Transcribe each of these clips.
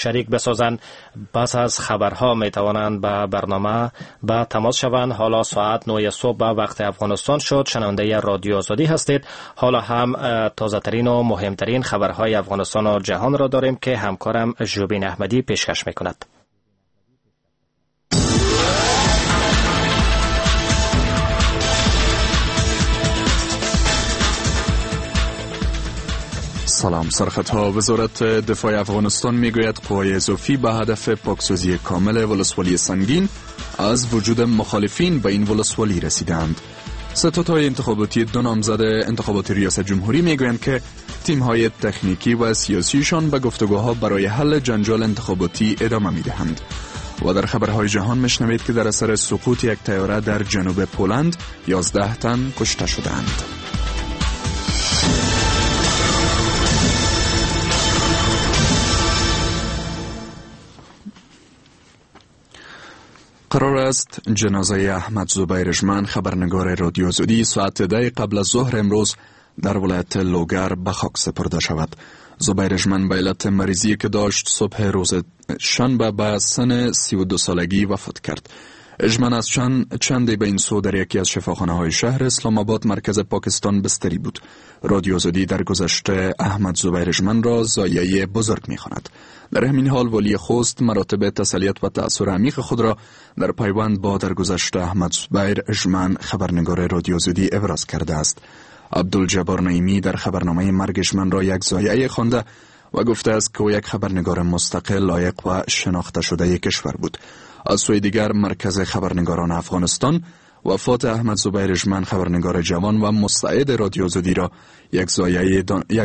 شریک بسازند، پس از خبرها می توانند به برنامه به تماس شوند. حالا ساعت 9 صبح به وقت افغانستان شد. شنونده رادیو آزادی هستید. حالا هم تازه ترین و مهمترین خبرهای افغانستان و جهان را داریم که همکارم ژوبین احمدی پیشکش می کند. سلام. سرخطها: وزارت دفاع افغانستان میگوید قوای اضافی به هدف پاکسازی کامل ولسوالی سنگین از وجود مخالفین به این ولسوالی رسیدند. ستادهای انتخاباتی دو نامزد انتخابات ریاست جمهوری میگویند که تیم‌های تکنیکی و سیاسیشان به گفتگوها برای حل جنجال انتخاباتی ادامه میدهند. و در خبرهای جهان میشنوید که در اثر سقوط یک طیاره در جنوب پولند 11 تن کشته شدند. قرار است جنازه احمد زبیر ژمن، خبرنگار رادیو آزادی، ساعت 10 قبل از ظهر امروز در ولایت لوگر به خاک سپرده شود. زبیر ژمن به علت مریضی که داشت صبح روز شنبه به سن 32 سالگی وفات کرد. ژمن از چندی به این سو در یکی از شفاخانه های شهر اسلام آباد مرکز پاکستان بستری بود. رادیو آزادی در گذشته احمد زبیر ژمن را ضایعه بزرگ می‌خواند. در همین حال والی خوست مراتب تسلیت و تأثر عمیق خود را در پیوند با درگذشت احمد زبیر ژمن، خبرنگار رادیو آزادی، ابراز کرده است. عبدالجبار نعیمی در خبرنامه مرگ ژمن را یک ضایعه خوانده و گفته است که او یک خبرنگار مستقل، لایق و شناخته شده کشور بود. از سوی دیگر مرکز خبرنگاران افغانستان وفات احمد زبیر ژمن، خبرنگار جوان و مستعد رادیو آزادی را یک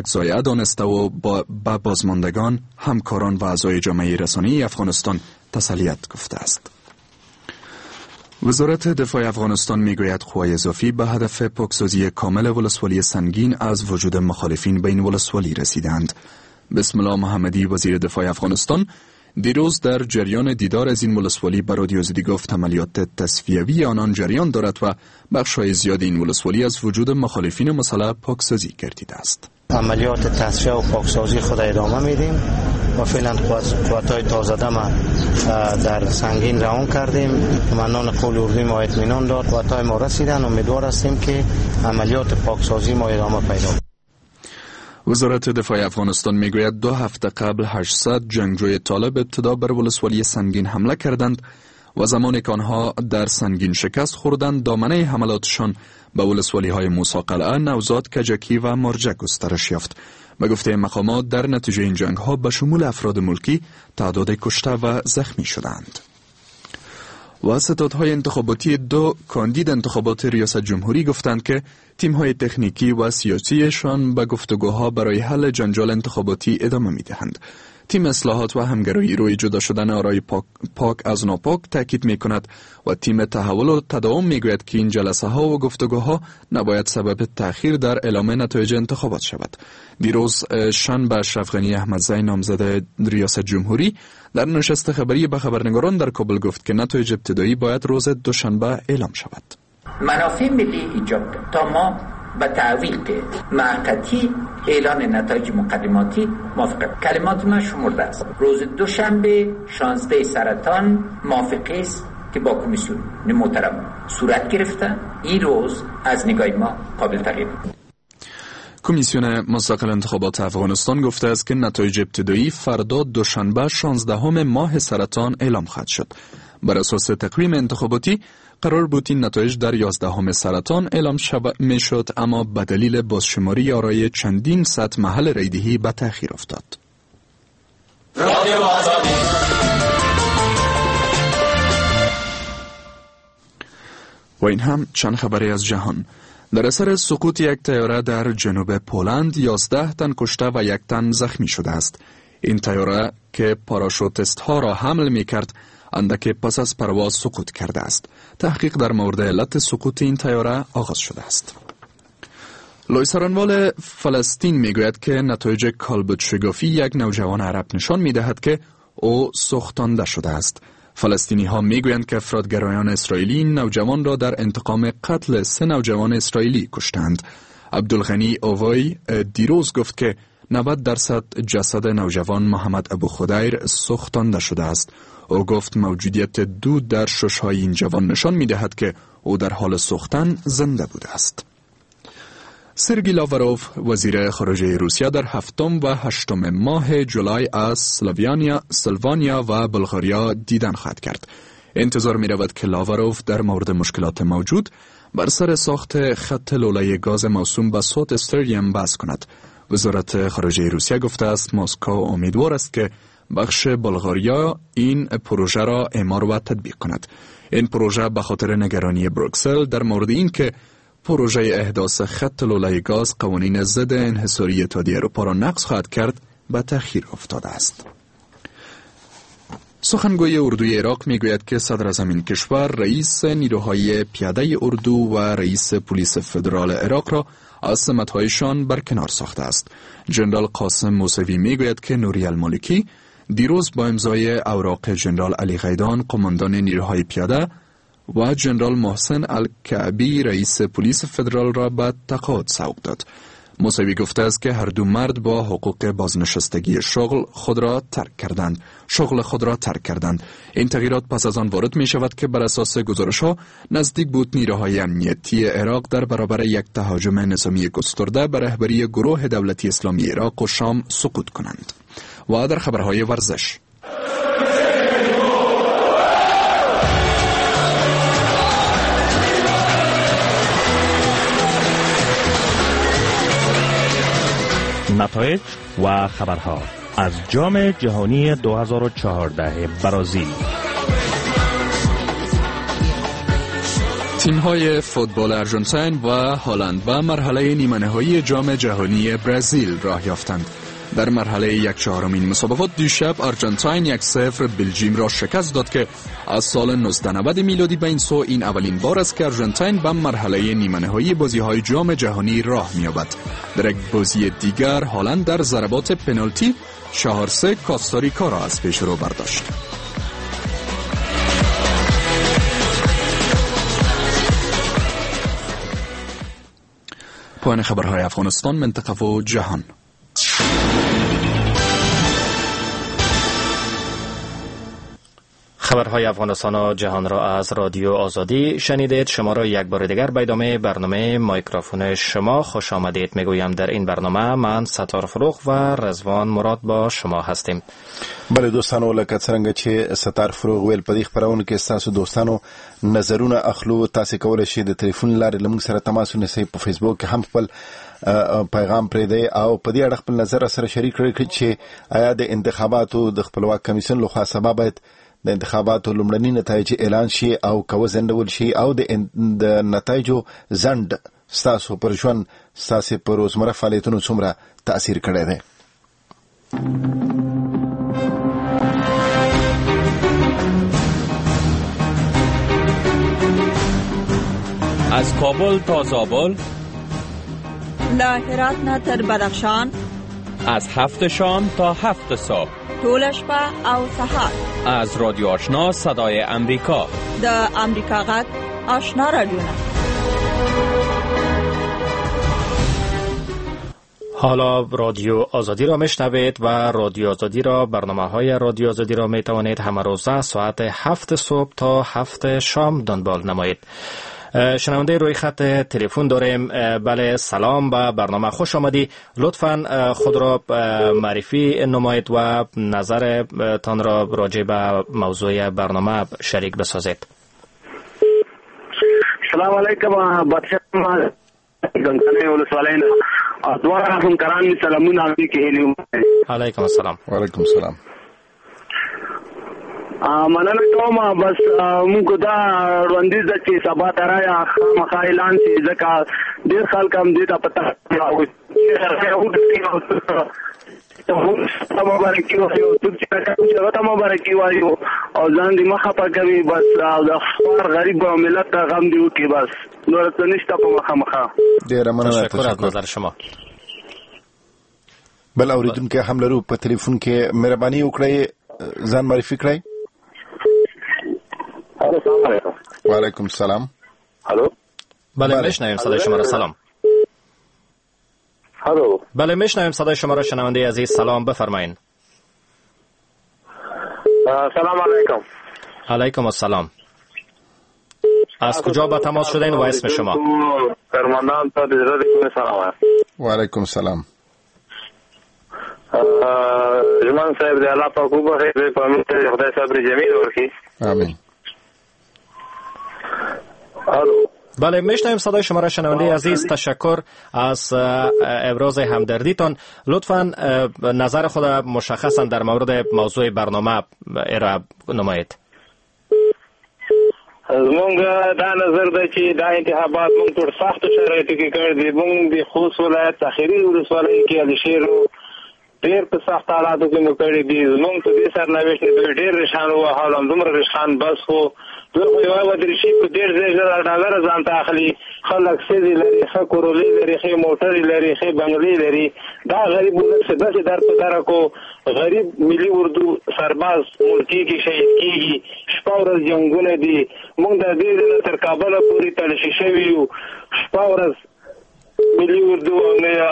ضایعه دانسته و با بازماندگان، همکاران و اعضای جامعه رسانه‌ای افغانستان تسلیت گفته است. وزارت دفاع افغانستان میگوید قوای اضافی به هدف پاکسازی کامل ولسوالی سنگین از وجود مخالفین به این ولسوالی رسیدند. بسم الله محمدی، وزیر دفاع افغانستان، دیروز در جریان دیدار از این ولسوالی به رادیو آزادی گفت عملیات تصفیوی آنان جریان دارد و بخش‌های زیاد این ولسوالی از وجود مخالفین مسلح پاکسازی گردیده است. عملیات تصفیه و پاکسازی خود ادامه میدیم و فعلا قوت‌های تازه دم در سنگین روان کردیم. منان قول اردوی ما اطمینان داد، قوت‌های ما رسیدن. امیدوار هستیم که عملیات پاکسازی ما ادامه پیدا کند. وزارت دفاع افغانستان میگوید 2 هفته قبل 800 جنگجوی طالب ابتدا بر ولسوالی سنگین حمله کردند و زمانی که آنها در سنگین شکست خوردند، دامنه حملاتشان به ولسوالی های موسی قلعه، نوزاد، کجکی و مرجع گسترش یافت. به گفته مقامات در نتیجه این جنگ ها به شمول افراد ملکی تعداد کشته و زخمی شدند. و ستادهای انتخاباتی دو کاندید انتخابات ریاست جمهوری گفتند که تیم‌های تکنیکی و سیاسیشان به گفتگوها برای حل جنجال انتخاباتی ادامه می‌دهند. تیم اصلاحات و همگرایی روی جدا شدن آرای پاک از ناپاک تاکید می‌کند و تیم تحول و تداوم می‌گوید که این جلسه‌ها و گفتگوها نباید سبب تأخیر در اعلام نتایج انتخابات شود. دیروز شنبه اشرف غنی احمدزی، نامزد ریاست جمهوری، در نشست خبری به خبرنگاران در کابل گفت که نتایج ابتدایی باید روز دوشنبه اعلام شود. منافع ملی ایجاب تا ما به تعویق موقتی اعلان نتایج مقدماتی موافقه. کلمات من شمرده است. روز دوشنبه 16 سرطان موافقه است که با کمیسیون محترم صورت گرفته. این روز از نگاه ما قابل تغییر. کمیسیون مستقل انتخابات افغانستان گفته است که نتایج ابتدایی فردا دوشنبه 16 ماه سرطان اعلام خواهد شد. بر اساس تقویم انتخاباتی قرار بود این نتایج در 11 سرطان اعلام میشد، اما به دلیل بازشماری آرای چندین صد محل رایدهی به تأخیر افتاد. و این هم چند خبری از جهان. در اثر سقوط یک طیاره در جنوب پولند 11 تن کشته و 1 تن زخمی شده است. این طیاره که پاراشوتیست ها را حمل می کرد اندک پس از پرواز سقوط کرده است. تحقیق در مورد علت سقوط این طیاره آغاز شده است. لوی سارنوال فلسطین میگوید که نتایج کالبدشکافی یک نوجوان عرب نشان میدهد که او سوختانده شده است. فلسطینی ها میگویند که افراط‌گرایان اسرائیلی نوجوان را در انتقام قتل 3 نوجوان اسرائیلی کشتند. عبدالغنی اووی دیروز گفت که 90% جسد نوجوان محمد ابو خدیر سوختانده شده است. او گفت موجودیت دود در ششهای این جوان نشان می‌دهد که او در حال سوختن زنده بوده است. سرگی لاوروف، وزیر خارجه روسیه، در 7 و 8 ماه جولای از سلوانیا و بلغاریا دیدن خواهد کرد. انتظار می رود که لاوروف در مورد مشکلات موجود بر سر ساخت خط لوله گاز موسوم به سوت استریم بحث کند. وزارت خارجه روسیه گفته است مسکو امیدوار است که بخش بلغاریا این پروژه را اعمار و تطبیق کند. این پروژه به خاطر نگرانی بروکسل در مورد این که پروژه احداث خط لوله گاز قوانین ضد انحصاری اتحادیه اروپا را نقض خواهد کرد به تأخیر افتاده است. سخنگوی اردوی عراق میگوید که صدراعظم این کشور رئیس نیروهای پیاده اردو و رئیس پلیس فدرال عراق را از سمت‌هایشان برکنار ساخته است. جنرال قاسم موسوی میگوید که نوری المالکی دیروز با امضای اوراق جنرال علی غیدان، قماندان نیروهای پیاده، و جنرال محسن الکعبی، رئیس پلیس فدرال را به تقاعد سوق داد. موسوی گفته است که هر دو مرد با حقوق بازنشستگی شغل خود را ترک کردند. این تغییرات پس از آن وارد می شود که بر اساس گزارش ها نزدیک بود نیروهای امنیتی عراق در برابر یک تهاجم نظامی گسترده به رهبری گروه دولتی اسلامی عراق و شام سقوط کنند. و در خبرهای ورزش، نتایج و خبرها از جام جهانی 2014 برازیل. تیم‌های فوتبال آرژانتین و هلند به مرحله نیمه نهایی جام جهانی برزیل راه یافتند. در مرحله 1/4 این مسابقات دیشب آرژانتین 1-0 بلژیم را شکست داد که از سال 1990 میلادی به این سو این اولین بار است که آرژانتین به مرحله نیمه نهایی بازی‌های جام جهانی راه می‌یابد. در یک بازی دیگر هلند در ضربات پنالتی 4-3 کاستاریکا را از پیش رو برداشت. پایان خبرهای افغانستان، منطقه و جهان. خبرهای افغانستان و جهان را از رادیو آزادی شنیدید. شما را یک بار دیگر به ادامه برنامه مایکروفون شما خوش آمدید میگویم. در این برنامه من ستار فروغ و رضوان مراد با شما هستیم. بله دوستانو، لکه څنګه چې ستار فروغ ویل په دې خپرونه کې ستاسو دوستانو نظرونه اخلو. تاسو کولی شئ د تلیفون لارې له موږ سره تماس ونیسئ، په فیسبوک کې هم خپل پیغام پرېږدئ او په دې اړه خپل نظر سره شریک کړئ چې آیا د انتخاباتو د خپلواک کمیسیون لخوا سبا باید د انتخاباتو لومړني نتایج اعلان شي او که وځنډول شي او د نتایجو ځنډ ستاسو پر ژوند، ستاسو پر روزمره فعالیتونو څومره تاثیر کړی دی. از کابل تا زابل، له هرات نه تر بدخشان، از 7 شام تا 7 صبح، ټوله شپه او سهار، از رادیو آشنا صدای امریکا، د امریکا غږ آشنا رادیو. حالا رادیو آزادی را میشنوید و رادیو آزادی را، برنامه های رادیو آزادی را می توانید همه روزه ساعت 7 صبح تا 7 شام دنبال نمایید. شنونده روی خط تلفن داریم. بله سلام، به برنامه خوش آمدی. لطفاً خود را معرفی نمایید و نظرتان را راجع به موضوع برنامه شریک بسازید. سلام علیکم، بادشاہ علیکم السلام. وعلیکم السلام. مننه کوم. بس موږ دا وړاندیز ده چې سبا ته رایه خامخا اعلان شي، ځکه ډېر خلک هم دې ته په تمه مبارکي وایو، څوک چې هغه ته مبارکي وایو او ځان دې مه خفه کوي. بس د خوار غریب ملت ته غم دې وکړي، بس نور څه نشته په مخه مخه. ډېره مننه، تشکر از نظر شما. بل اوریدونکی هم لرو په تلیفون کې، مهرباني وکړئ ځان معرفي کړئ. السلام علیکم. وعلیکم السلام. الو. بله میشنویم صدای شما را. سلام. الو. بله میشنویم صدای شما را شنونده عزیز. سلام، بفرمایید. سلام علیکم. علیکم السلام. از کجا به تماس شدین و اسم شما؟ فرماندان ته د زړه کومه سلام. و علیکم سلام. ژمن صاحب د الله پاک وبخښي، په امین ته خدای صبر جمیل ورکړي. آمین. الو. بله میشنویم صدای شما را شنونده عزیز. تشکر از ابراز همدردیتان. لطفاً نظر خود مشخصا در مورد موضوع برنامه ارائه نمایید. زمونږ دا نظر دی چې دا انتخابات مونږ ټول سختو شرایطو کې کړي دي. مونږ د خوست ولایت اخري ولسوالۍ کې علیشیرو ډېر په سخت حالاتو کې مو کړي دي. زمونږ په دې سرنوشت دوی ډېر رشان ووهل، همدومره رشان بس خو دوی خو یوه ودریشي په $30,000 ځان ته اخلي. خلک ښځې لري، ښه کورولې لري، ښې موټرې لري، ښې بنګلې لري. دا غریب ولس چې داسې در په دره کو، غریب ملي اردو سرباز ملکي کې شهید کېږي، شپه ورځ جنګونه دي. موږ د دې ځای تر کابله پورې تلاشي شوي یو، شپه ورځ ملي اردو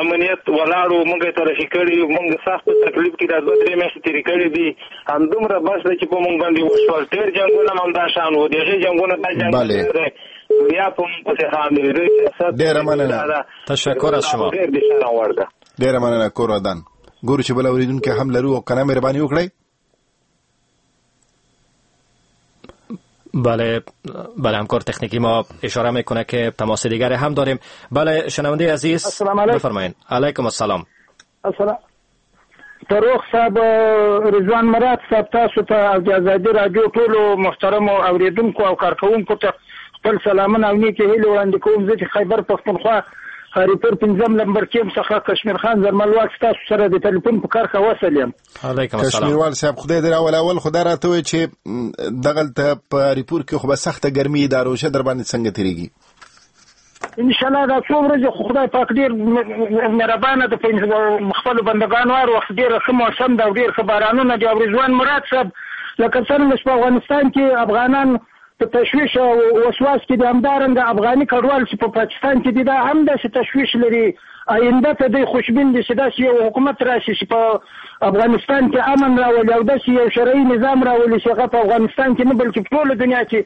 امنیت ولاړو، موږ یې تلاشي کړي یو. موږ سخت په تکلیف کې دا 2-3 میاشتې تېرې کړې دي. همدومره بس ده چې په موږ باندې وشول. ډېر جنګونه هم همدا شان وو، د هغې جنګونه دا جنګ بیا په موږ پسې خاندي. ډېره مننه، تشکر از شما. ډېر د شرم وړ ده. ډېره مننه، کور ودان. ګورو چې بل اورېدونکی هم لرو او که نه مهرباني وکړئ. بله بله، همکار تکنیکی ما اشاره میکنه که تماس دیگر هم داریم. بله شنونده عزیز، السلام علیکم. بفرمایید. علیکم السلام. السلام فروخ صاحب، رضوان مراد صاحب، تاسو ته او د ازادي راډیو ټولو محترمو اورېدونکو او کارکوونکو ته خپل سلامونه او نیکې هیلې وړاندې کوم. زه چې خیبر پښتونخوا هریپور 5 نمبر کیم څخه کشمیر خان زرملواک ستاسو سره د ټلیفون په کرښه وصل یم. علیکم السلام. کشمیروال صاحب، خدای دې راوله. اول خدای راته ووایي چې دغلته په هریپور کې خو به سخته ګرمي ده، روژه در باندې څنګه تېرېږي؟ انشاءالله دا څو ورځې خو خدای پاک ډېر مهربانه ده په خپلو بندګانو، هر وخت ډېر ښه موسم ده او ډېر ښه بارانونه دي. او رضوان مراد صاحب، لکه څرنګه چې په افغانستان کې افغانان په تشویش او وسواس کې دي، همدارنګه افغاني کډوال چې په پاکستان کې دي دا هم داسې تشویش لري. آینده ته دوی خوشبین دي چې داسې یو حکومت راشي چې په افغانستان کې امن راولي او داسې یو شرعي نظام راولي چې هغه په افغانستان کې نه بلکې په ټوله دنیا کې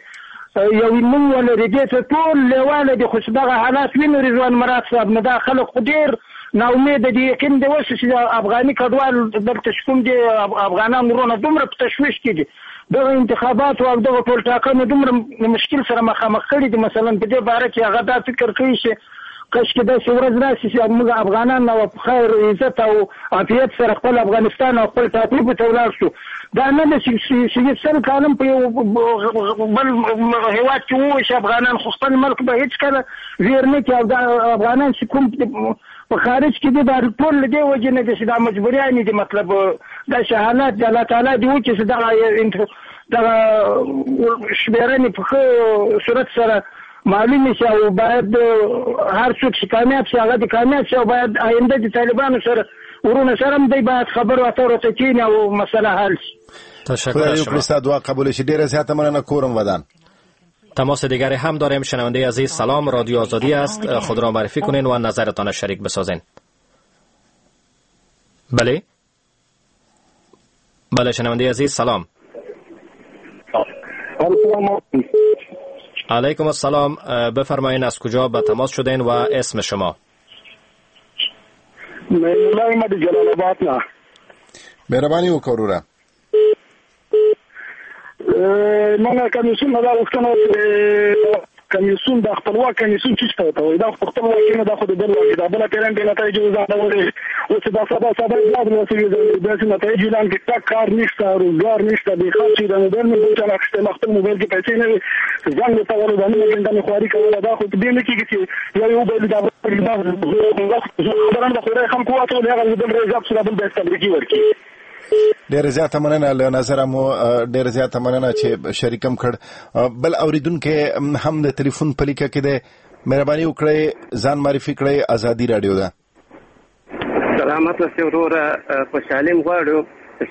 یو نوم ولري. دې ته ټول لېواله دي، خو چې دغه حالات وینو رضوان مراد صاحب، نو دا خلک خو ډېر ناامیده دي. یقین دې وشي چې افغاني کډوال دلته چې کوم دي افغانان وروڼه دومره په تشویش کې دي، دغه انتخاباتو او دغه ټولټاکنو دومره مشکل سره مخامخ کړي دي. مثلا په دې باره کې هغه دا فکر کوي چې کاشکې داسې ورځ راشي چې موږ افغانان او په خیر عزت او عافیت سره خپل افغانستان او خپل ټاټوبي ته ولاړ شو. دا نه ده چې 100 کاله په یو بل هېواد کې وویشي افغانان، خو خپل ملک به هېڅکله ویر نه کړي. او دا افغانان چې کوم په خارج کې دي دا ټول له دې وجې نه دي چې دا مجبوریانې دي. مطلب داسې حالات دي. الله تعالی دې وکړي چې دغه شمېرنې په ښه صورت سره معلومې شي او باید هر څوک چې کامیاب شي هغه دې کامیاب شي او باید آینده د طالبانو سره ورونه سره هم دی باید خبرو اترو ته کښېني او مسله حل شي. تشکر از شما. ستا دعا قبول شي. ډېره زیاته مننه، کورم ودان. تماس دیگری هم داریم. شنونده عزیز سلام، رادیو آزادی است، خود را معرفی کنین و نظرتان شریک بسازین. بله بله، شنونده عزیز سلام. علیکم السلام، بفرمایین از کجا به تماس شدین و اسم شما؟ جلال آباد نه. مهرباني وکړه وروره. موږ کمیسیون دا غوښتنه کمیسیون د خپلواک کمیسیون چې څه ته وایي، دا خو خپل واک نه، دا خو د بل واک دا بل پیران د نتایجو ځانولې. اوس دا سبا سبا دا د وسیلې داسې نتایج اعلان کړي، تا کار نشته، روزګار نشته، بې خرچې د موبایل مې بل چا اخیستی، ما خپل موبایل کې پیسې نه وې، زنګ ورته ولو دا نیمه ګنټه مې خواري کوله. دا خو په دې نه کېږي چې یو یو بل دا خبره د خدای خلکو واچول، هغه بل رئیس دا بل باید تبریکي ورکړي. ډېره زیاته مننه له نظره مو، ډېره زیاته مننه چې شریکم کړ. بل اوریدونکی هم د تلیفون په لیکه کې دی، مهرباني وکړئ ځان معرفي کړئ. ازادي راډیو ده. سلامت اوسې وروره، خوشحالي م غواړو.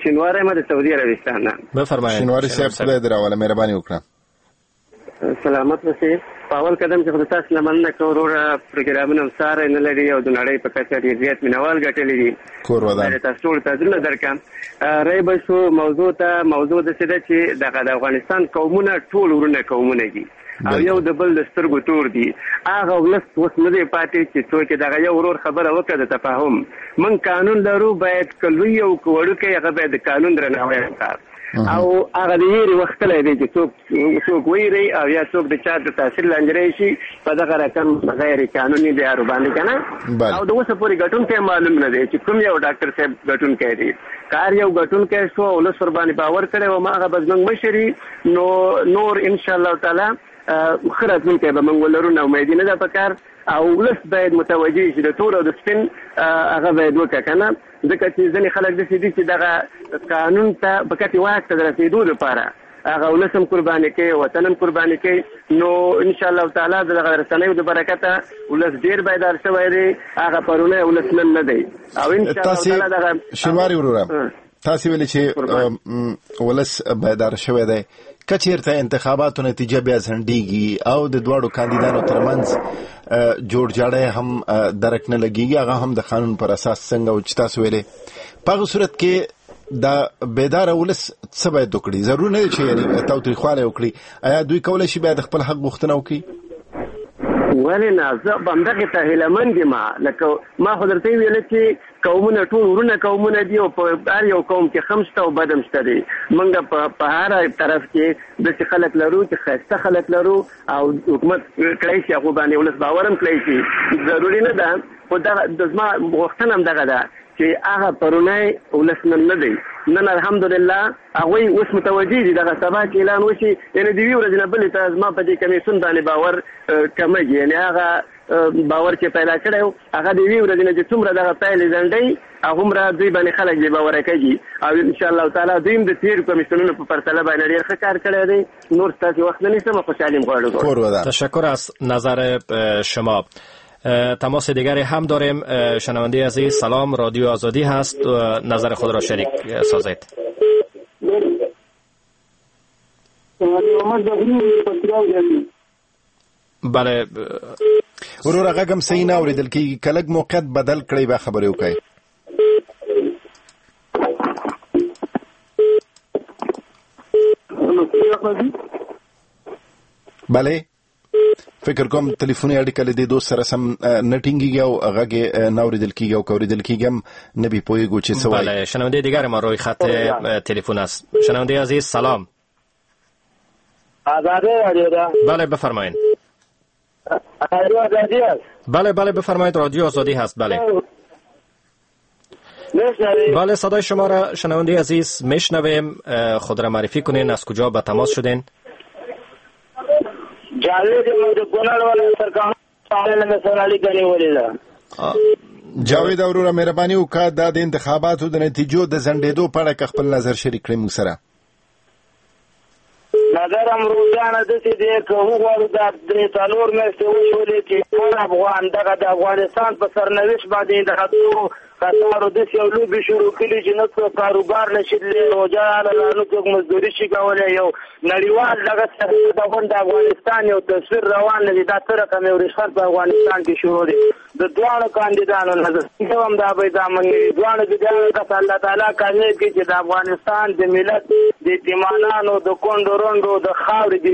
شینواری یم د سعودي عربستان نه. بفرمایئ شینواری صاحب، خدای دې راوله، مهرباني وکړه. سلامت اوسې. په اول قدم کې خو تاسو نه مننه کوم وروره، پروګرامونه هم ساری نه لري او د نړۍ په کچه ډېر زیات مینهوال ګټلي دي. کور ودان. تاسو ټولو ته زړونه درکړم. رای به شو موضوع ته. موضوع داسې ده چې دغه د افغانستان قومونه ټول ورونه قومونه دي او یو د بل د سترګو تور دي. هغه ولس اوس نه دی پاتې چې څوک دغه یو ورور خبره وکړه د تفاهم. موږ قانون لرو، باید که لوی او که وړوکی هغه باید د قانون درناوی وکړي. او هغه د ویرې وخت تللی دی چې څوک ویري او یا څوک د چا د تاثیر لاندې راشي په دغه رقم غیر قانوني لارو باندې که نه. او د اوسه پورې ګټونکی معلوم نه دی چې کوم یو ډاکټر صاحب ګټونکی دی. که هر یو ګټونکی شو او ولس ورباندې باور کړی و هغه به زموږ مشري، نو نور انشاءالله تعالی ښه راتلونکی به موږ ولرو. ناامیدي نه ده په کار او ولس باید متوجه شي د تور او د سپین هغه باید وکړه که نه، ځکه چې ځینې خلک داسې دي چې دغه قانون ته په کتې واک ته د رسېدو لپاره هغه ولس هم قرباني کوي، وطن هم قرباني کوي. نو انشاءالله تعالی د دغه رسنیو د برکته ولس ډېر بیدار شوی دی، هغه پرونی ولس نن نه دی. او انشاءالله تعالی دغه شینواری وروره تاسو ویلي چې ولس بیدار شوی دی، که چیرته انتخاباتو نتیجه بیا ځنډیږي او د دواړو کاندیدانو ترمنځ جوړجاړی هم درک نه لګیږي، هغه هم د قانون پر اساس څنګه و چې تاسو ویلې، په هغه صورت کې دا بیدار ولس څه باید وکړي؟ ضرور نه دی چې یعنی تاوتریخوالی وکړي. ایا دوی کولی شي بیا د خپل حق غوښتنه وکړي؟ ولې نه، زه همدغې ته هیله مند یم. لکه ما خو درته ویل چې قومونه ټول ورونه قومونه دي او په هر یو قوم کې ښه هم شته او بد هم شته دی. موږ په هر طرف کې داسې خلک لرو چې ښایسته خلک لرو او حکومت کړی شي، هغو باندې ولس باور هم کړی شي. ضروري نه ده، خو دغه زما غوښتنه هم دغه ده چې هغه پرونی ولس نن نه دی. نن الحمدلله هغوی اوس متوجه دي. دغه سبا چې اعلان وشي، یعنې د یوې ورځې نه بلې ته زما په دې کمیسیون باندې باور کمېږي. یعنې هغه باور چې پیدا کړی و هغه د یوې ورځې نه چې څومره دغه پایلې ځنډوي هغومره دوی باندې خلک بې باوره کوي. او انشاءالله تعالی دوی هم د تېرو کمیسیونونو په پرتله باندې ډېر ښه کار کړی دی. نور ستاسې وخت نه نیسم، خوشحالي هم غواړو. تشکر از نظر شما. تماس دیگری هم داریم. شنونده عزیز سلام، رادیو آزادی هست، نظر خود را شریک سازید. بله وروره غږ هم صحیح نه اورېدل کېږي، که لږ موقعیت بدل کړئ بیا خبرې وکړئ. بله فکر کوم تلیفوني اړیکه له دې دوست سره سم نه ټینګیږي او غږ یې نه اورېدل کېږي او که اورېدل کېږي هم نه بې پوهېږو چې څه وایي. بله شنونده دیگر ما روی خط تلفن است. شنونده عزیز سلام. آزادی رادیو ده. بله بفرمایید. رادیو آزادی است. بله بله بفرمایید، رادیو آزادی هست. بله بله صدای شما را شنونده عزیز میشنویم. خود را معرفی کنین، از کجا به تماس شدین؟ جاوید وروره مهرباني وکړه دا د انتخاباتو د نتیجو د ځنډېدو په اړه که خپل نظر شریک کړئ موږ سره. نظر هم روزانه داسې دی که وغواړو دا 3-4 میاشتې وشولې چې هر افغان دغه د افغانستان په سرنوشت باندې دغه تورو کسانو داسې یو لوبې شروع کړي چې نه څوک کاروبار نه شي تللی، روژه راغله نه څوک مزدوري شي کولی. یو نړیوال دغه د افغانستان یو تصویر روان نه دی. دا څه رقم یو رشوت په افغانستان کې شروع دی. د دواړو کاندیدانو نظر هم دا به دا مني، دواړو د کس الله تعالی کامیاب کړي چې د افغانستان د ملت د یتیمانانو د کونډو رونډو د خاورې د.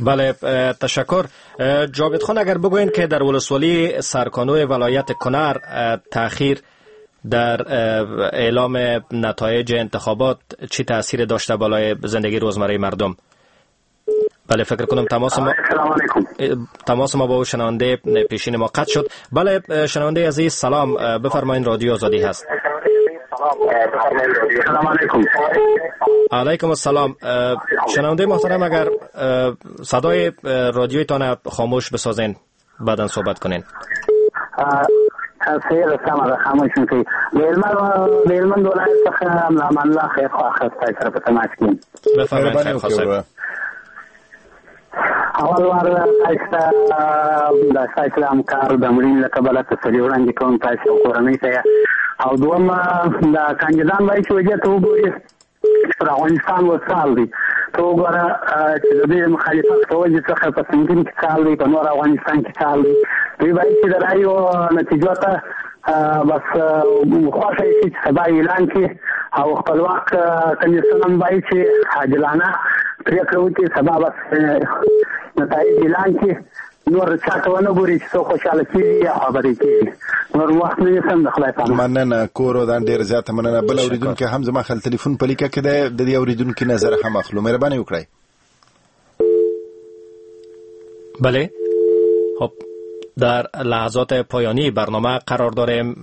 بله تشکر. جاوید خان اگر بگوین که در ولسوالی سرکانو ولایت کنر تأخیر در اعلام نتایج انتخابات چی تأثیر داشته بالای زندگی روزمره مردم؟ بله فکر کنم تماس ما با شنونده پیشین ما قطع شد. بله شنونده عزیز سلام، بفرمایید، رادیو آزادی هست. سلام علیکم. علیکم السلام. شنونده محترم اگر صدای رادیویتان خاموش بسازین بعدا صحبت کنین. سیر سمه ده، خاموش کړئ. د هلمند ولایت څخه امان الله خیرخواه ستاسو سره په تماس کې یم. بفرمایید خیرخواه صاحب. اول وار تاسو ته د ستاسو د همکار د مړینې له کبله تسلي وړاندې کوم تاسو او کورنۍ ته. او دویم د کاندیدان باید چې وضعیت وګوري چې پر افغانستان وسال دی، ته وګوره چې د دوی مخالفت په وجې څخه په سنګین کې څه حال دی، په نور افغانستان کې څه حال دی. دوی باید چې د رایو نتیجو ته بس خوښه شي چې سبا اعلان کړي، او خپلواک کمیسیون هم باید چې عادلانه پرېکړه وکړي، سبا بس نتایج اعلان کړي، نور چاته ونه ګوري چې څوک خوشحاله کېږي یا خبرې کېږي. نور وخت نه نیسم، د خدای په امان. مننه کور ودان، ډېر زیاته مننه. بل اورېدونکی هم زما خپل تلیفون په لیکه کې دی، د دې اورېدونکي نظر هم اخلو، مهرباني وکړئ. بله، خب در لحظات پایانی برنامه قرار داریم،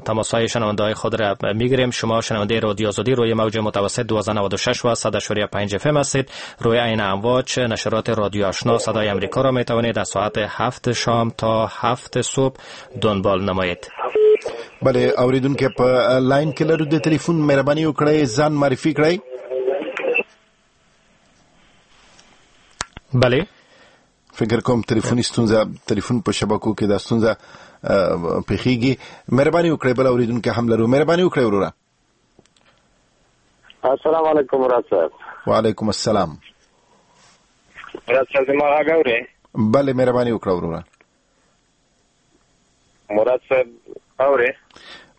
تماس های شنونده های خود را میگیریم. شما شنونده رادیو آزادی روی موج متوسط 1296 و 100.5 اف ام هستید. روی عین امواج نشرات رادیو آشنا صدای امریکا را می توانید از ساعت 7 شام تا 7 صبح دنبال نمایید. بله، اوریدونکو په لاین کې لرو د تلیفون، مهرباني وکړئ ځان معرفي کړئ. بله، فکر کوم تلیفوني ستونزه، تلیفون په شبکو کې دا ستونزه پیښیږي. مهرباني وکړئ، بل اوریدونکي هم لرو، مهرباني وکړئ وروره. السلام علیکم مراد صاحب. وعلیکم السلام. مراد صاحب زما غږ اورې؟ بله، مهرباني وکړه وروره. مراد صاحب اورې؟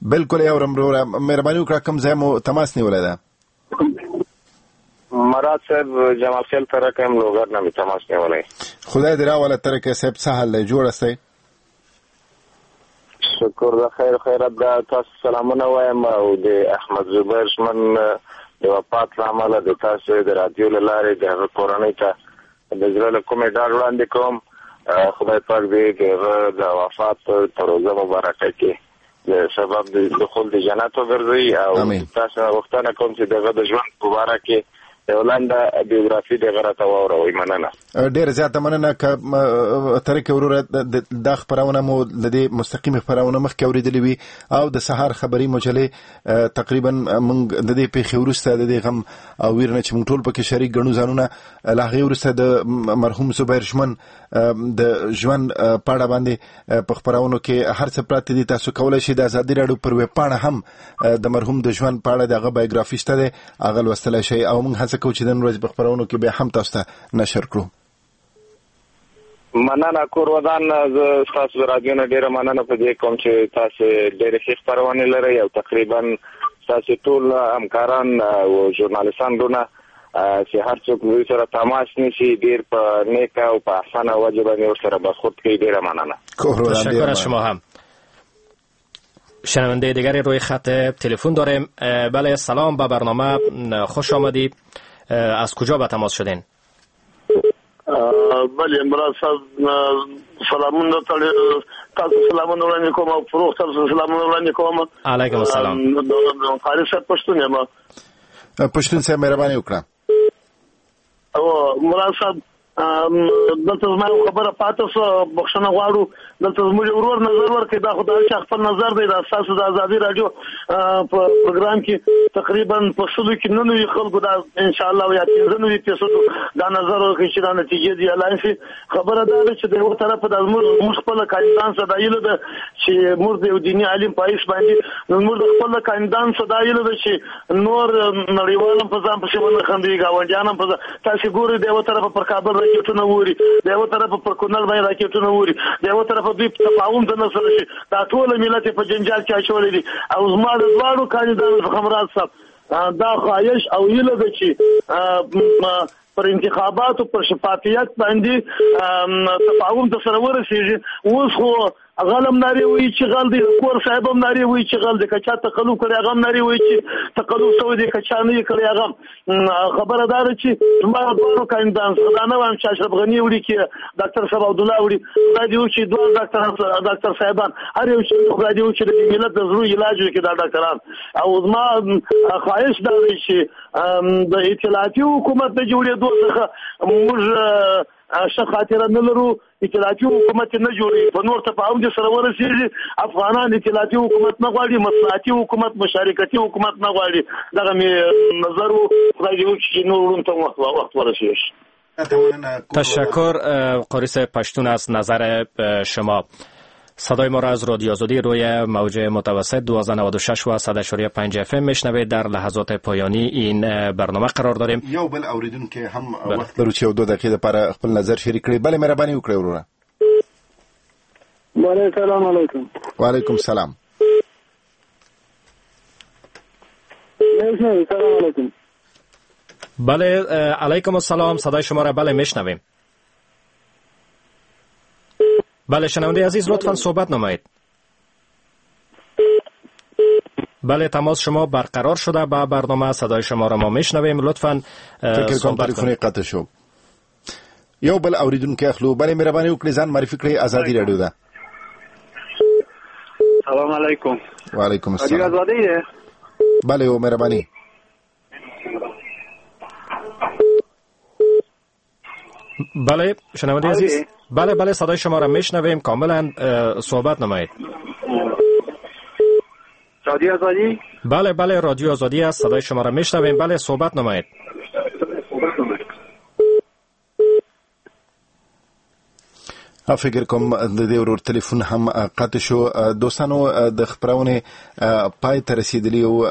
بالکل یې اورم وروره، مهرباني وکړه، کوم ځای مو تماس نیولی ده؟ مراد صاحب جمال خیل ترکه یم، لوګر نه مې تماس نیولی. خدای دې راوله ترکه صاحب، څه حال دی، جوړ یاستئ؟ شکر د خیر خیرات ده. تاسو سلامونه وایم او د احمد زبیر ژمن د وفات له امله د تاسو د رادیو له لارې د هغه کورنۍ ته د زړه له کومې ډاډ وړاندې کوم. خدای پاک دې د هغه د وفات په روزه مبارکه کې د سبب د دخول د جنت وګرځوي، او تاسو غوښتنه کوم چې د هغه د ژوند په باره کې یو لنډه بیوګرافي دې راته واوروئ. مننه. ډېره زیاته مننه. که ترکه وروره دا خپرونه مو له دې مستقیمې خپرونه مخکې اورېدلې وي او د سهار خبري مجلې تقریبا موږ د دې پېښې وروسته د دې غم او ویر نه چې موږ ټول پکې شریک ګڼو ځانونه، له هغې وروسته د مرحوم زبیر ژمن د ژوند په اړه باندې په خپرونو کې هر څه پراته دي. تاسو کولی شئ د ازادي راډیو پر ویبپاڼه هم د مرحوم د ژوند په اړه د هغه بایوګرافي شته دی، هغه لوستلی شئ، او موږ هڅه کوو چې د نن ورځې په خپرونو کې بیا هم تاسو ته نشر کړو. مننه کور ودان. زه ستاسو د رادیو نه ډېره مننه په دې کوم چې تاسو ډېرې ښې خپرونې لرئ او تقریبا ستاسو ټول همکاران او ژورنالیستان وروڼه چې هر څوک دوی سره تماس نیسي ډېر په نیکه او په اسانه وجه باندې ورسره برخورد کوي. ډېره مننه. تشکر از شما هم. شنونده دیگری روی خط تلفن داریم. بله، سلام، به برنامه خوش آمدید. از کجا به تماس شدین؟ بله مراد صاحب سلامونه تاسو سلامونه وړاندې کوم او فروغ تاسو سلامونه وړاندې کوم. علیکم السلام. قاري صاحب پښتون یم. پښتون صاحب مهرباني وکړه. او مراد صاحب دلته زما یو خبره پاتې شوه، بخښنه غواړو. دلته زموږ ورور نظر ورکړي، دا خو د هر چا خپل نظر دی. دا ستاسو د ازادي راډیو په پروګرام کې تقریبا په 100 کې 99 خلکو دا انشاءالله یا 95% دا نظر ورکړي چې دا نتیجې دې اعلان شي. خبره دا ده چې د یو طرفه دا زموږ خپله کاندیدان څه دا هیله ده چې موږ د یو دیني عالم په حیث باندې موږ د خپل کاندیدان څه دا هیله ده چې نور نړیوال هم په ځان پسې ونه خندوي، ګاونډیان هم په ځان. تاسې ګورئ د یوه طرفه پر کابل راکټونه ووري، د یوه طرفه پر کونړ باندې راکټونه ووري، د یوه طرفه دوی تفاهم ته نه سره شي. دا ټوله ملت یې په جنجال کې اچولی دي. او زما د دواړو کاندیدانو څخه مراد صاحب دا خواهش او هیله ده چې پر انتخاباتو پر شفافیت باندې تفاهم ته سره ورسېږي. اوس خو غل هم نارې وایي چې غل دی، کور صاحب هم نارې وایي چې غل دی، که چا تقلب کړی هغه هم نارې وایي چې تقلب شوی دی، که چا نه یې کړی هغه هم. خبره دا ده چې زما دواړو کاندیدان څخه دا نه وایم چې اشرف غني وړي کې ډاکټر صاحب عبدالله وړي، خدای دې وکړي دواړه ډاکټر صاحبان هر یو چې خدای دې وکړي د ملت د زړو علاج وکړي دا ډاکټران. او زما خواهش دا دی چې د اطلاعاتي حکومت د جوړېدو څخه موږ ښه خاطره نه لرو. اطلاعاتي حکومت نه جوړوي، په نور تفاهم دې سره ورسېږي. افغانان اطلاعاتي حکومت نه غواړي، مصلحتي حکومت، مشارکتي حکومت نه غواړي. دغه مې نظر و. خدای دې وکړي چې نور وروڼو ته وخت ورسېږي. تشکر قاری صاحب پشتون از نظر شما. صدای ما را از رادیو آزادی روی موج متوسط 1296 و 100.5 اف ام میشنوید. در لحظات پایانی این برنامه قرار داریم. یو بل اوریدونکو هم وخت لرو چې یو دوه دقیقې لپاره خپل نظر شریک کړي. بله مهرباني وکړئ وروره. بله، سلام علیکم. وعلیکم سلام. سلام علیکم. بله، علیکم السلام. صدای شما را بله میشنویم. بله شنونده عزیز، لطفا صحبت نمایید. بله، تماس شما برقرار شده با برنامه، صدای شما را ما میشنویم. لطفا فکر کنم تلفن قطع شو. یو بل اوریدونکی اخلو. بله مهرباني وکړئ، ځان معرفي کړئ، ازادي رادیو ده. سلام علیکم. وعلیکم السلام. رادیو ازادي ده؟ بله او مهرباني. بله شنونده عزیز، بله بله صدای شما را میشنویم کاملا، صحبت نمایید. رادیو آزادی؟ بله بله رادیو آزادی است، صدای شما را میشنویم. بله صحبت نمایید. فکر کوم د دې ورور تلیفون هم قطع شو. دوستانو د خپرونې پای ته رسېدلی او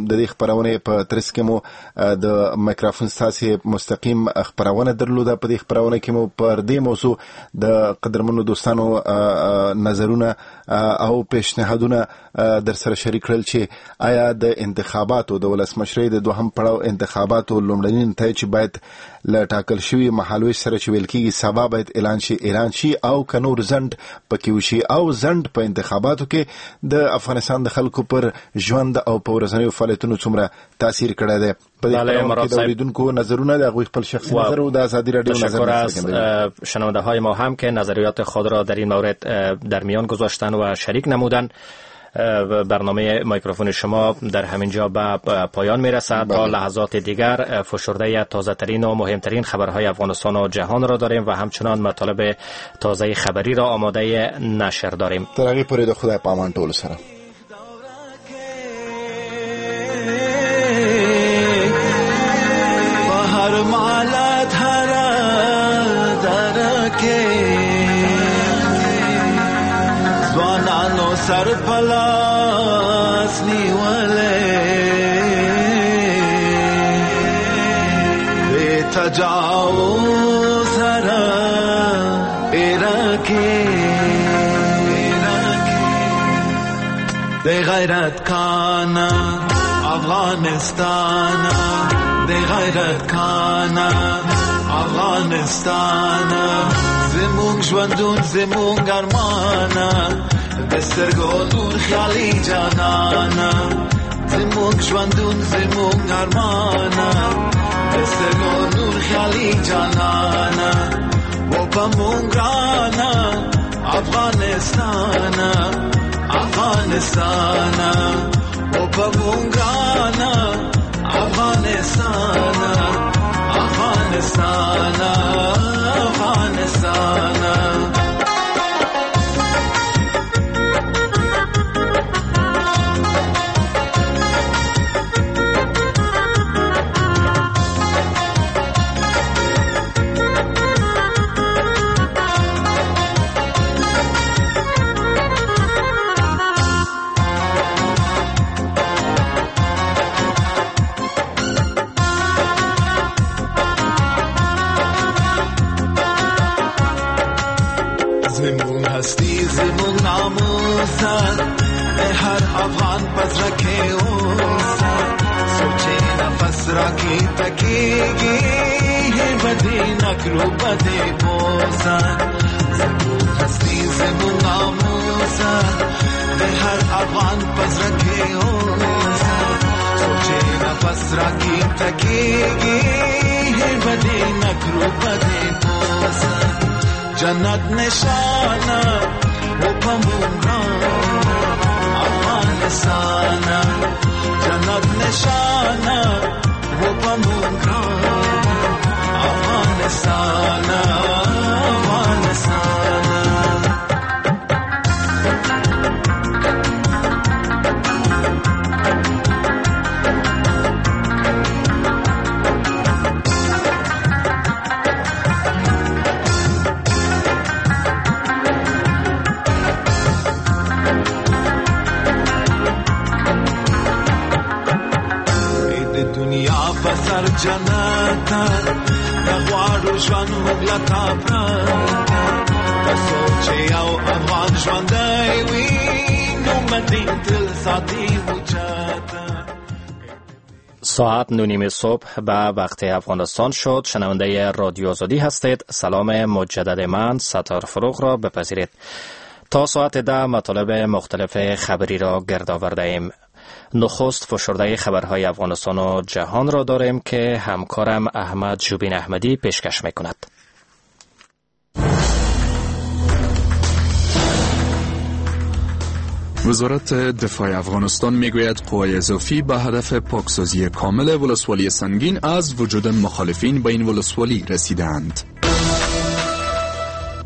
د دې خپرونې په ترڅ کې مو د مایکروفون ستاسې مستقیم خپرونه درلوده. په دې خپرونه کې مو پر دې موضوع د قدرمنو دوستانو نظرونه او پیشنهادونه در سره شریک کړل چې آیا د انتخاباتو د ولسمشرۍ د دوهم پړاو انتخاباتو لومړني نتایج باید له ټاکل شوي مهالویش سره چې ویل کېږي سبا باید اعلان شي اعلان شي او که نور ځنډ پکې وشي، او ځنډ په انتخاباتو کې د افغانستان د خلکو پر ژوند او په ورځنیو فعالیتونو څومره تاثیر کړی دی. په دې خپرونه کې د اوریدونکو نظرونه د هغوی خپل شخصي نظر او د ازادي رادیو نظر. تشکر از شنونده های ما هم که نظریات خود را در این مورد در میان گذاشتن و شریک نمودن. برنامه میکروفون شما در همین جا به پایان میرسد. تا لحظات دیگر فشرده تازه ترین و مهمترین خبرهای افغانستان و جهان را داریم و همچنان مطالب تازه خبری را آماده نشر داریم. تر هغې پورې د خدای په امان ټولو سره. هر مالت هر درکه ځوانانو سر پلاس نیولې بې تجاوز سره ایرکه د غیرت کانا افغانستان، د غیرت کانا افغانستان، زموږ ژوندون زموږ ارمانه، د سترګو نور خیالي جانانه، زموږ ژوندون زموږ ارمانه، د سترګو نور خیالي جانانه، و په مونږ ګرانه افغانستان، افغانستان، و په مونږ ګرانه افغانستان، افغانستان، افغانستان. هر افغان پس رکھے اوسه، سوچې نفس راکې تکیږي، بدې نکرو بدې بوسه، زموږ هستي زموږ ناموسه، د هر افغان پس رکھے اوسه، سوچې نفس راکې تکیږي، بدې نکرو بدې بوسه، جنت نشانه و په مونږ افغانستان، جنت نشانه و په مونږ افغانستان، افغانستان. د دنیا په سر جنت د غواړو ژوند موږ له تا پرته که څوک چې یو افغان ژوندی وي نو مدین تل ساتي اوچته. ساعت 9:30 صبح به وقت افغانستان شد. شنونده رادیو آزادی هستید. سلام مجدد من ستار فروغ را بپذیرید. تا ساعت 10 مطالب مختلف خبری را گرد آورده ایم. نخست فشرده خبرهای افغانستان و جهان را داریم که همکارم احمد جوبین احمدی پیشکش میکند. وزارت دفاع افغانستان میگوید قوای اضافی به هدف پاکسازی کامل ولسوالی سنگین از وجود مخالفین به این ولسوالی رسیدند.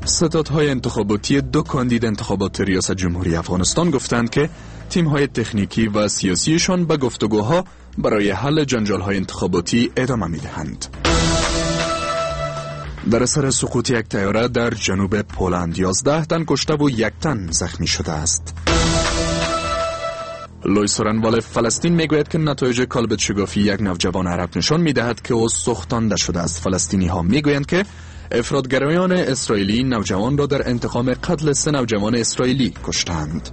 ستادهای انتخاباتی دو کاندید انتخابات ریاست جمهوری افغانستان گفتند که تیم‌های تکنیکی و سیاسیشان به گفتگوها برای حل جنجال‌های انتخاباتی ادامه می‌دهند. در اثر سقوط یک طیاره در جنوب پولند 11 تن کشته و 1 تن زخمی شده است. لوی سورنوال فلسطین میگوید که نتایج کالبد شگافی یک نوجوان عرب نشان میدهد که او سوختانده شده است. فلسطینی ها میگویند که افراطگرایان اسرائیلی نوجوان را در انتقام قتل 3 نوجوان اسرائیلی کشتند.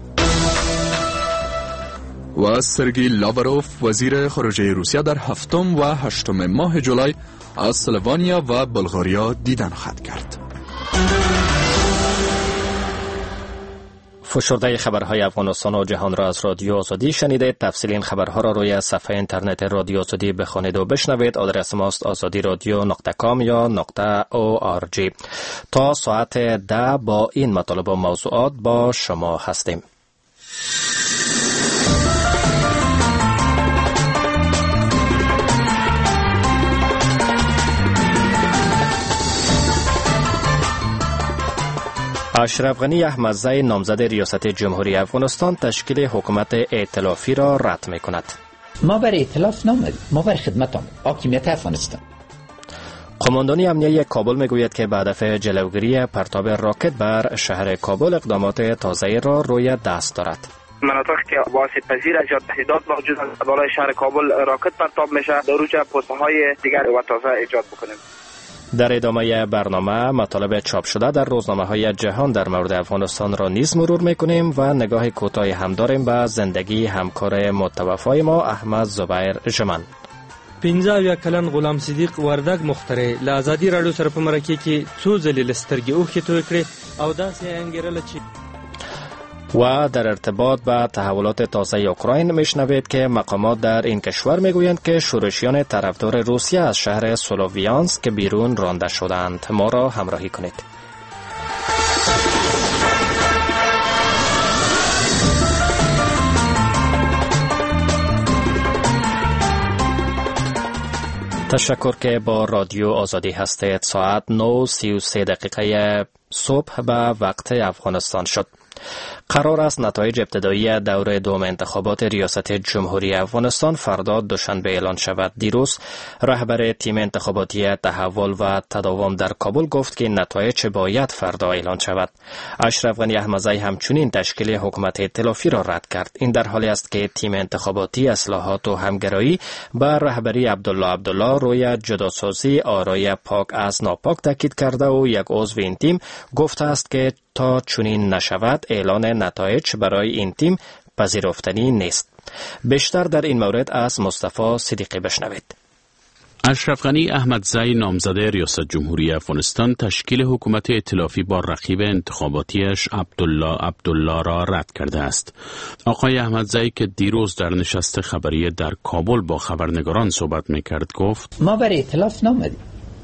و سرگی لاوروف وزیر خارجه روسیه در 7 و 8 ماه جولای از سلوانیا و بلغاریا دیدن خواهد کرد. فشرده خبرهای افغانستان و جهان را از رادیو آزادی شنیدید. تفصیل این خبرها را روی صفحه اینترنت رادیو آزادی بخوانید و بشنوید. آدرس ماست azadiradio.com یا .org. تا ساعت 10 با این مطالب و موضوعات با شما هستیم. اشرف غنی احمدزی نامزد ریاست جمهوری افغانستان تشکیل حکومت ائتلافی را رد می کند. ما بر ائتلاف نامدیم، ما بر خدمت آمدیم. حاکمیت افغانستان. قماندانی امنیه کابل میگوید که به هدف جلوگیری پرتاب راکت بر شهر کابل اقدامات تازه را روی دست دارد. مناطق که واسط پذیر از یا تهدیدات موجود است بالای شهر کابل راکت پرتاب میشه، در اونجا پست‌های دیگر و تازه ایجاد بکنیم. در ادامه برنامه مطالب چاپ شده در روزنامه‌های جهان در مورد افغانستان را نیز مرور می‌کنیم و نگاه کوتاهی هم داریم به زندگی همکار متوفای ما احمد زبیر ژمن. 75 کلن غلام صدیق وردګ مختره له ازادي راډیو سره په مرکه کې څو ځلې له سترګې اوښکې تویې کړې او داسې یې انګېرله چې و در ارتباط با تحولات تازه اوکراین میشنوید که مقامات در این کشور میگویند که شورشیان طرفدار روسیه از شهر سلوویانسک بیرون رانده شدند. ما را همراهی کنید. تشکر که با رادیو آزادی هستید. ساعت 9:33 صبح به وقت افغانستان شد. قرار است نتایج ابتدایی دور دوم انتخابات ریاست جمهوری افغانستان فردا دوشنبه اعلان شود. دیروز رهبر تیم انتخاباتی تحول و تداوم در کابل گفت که نتایج باید فردا اعلان شود. اشرف غنی احمدزی همچنین تشکیل حکومت ائتلافی را رد کرد. این در حالی است که تیم انتخاباتی اصلاحات و همگرایی به رهبری عبدالله عبدالله روی جداسازی آرای پاک از ناپاک تاکید کرده و یک عضو این تیم گفته است که تا چنین نشود اعلان نتایج برای این تیم پذیرفتنی نیست. بیشتر در این مورد از مصطفی صدیقی بشنوید. اشرف غنی احمدزی نامزد ریاست جمهوری افغانستان تشکیل حکومت ائتلافی با رقیب انتخاباتیش عبدالله عبدالله را رد کرده است. آقای احمدزی که دیروز در نشست خبری در کابل با خبرنگاران صحبت میکرد گفت: ما بر ائتلاف نامدیم،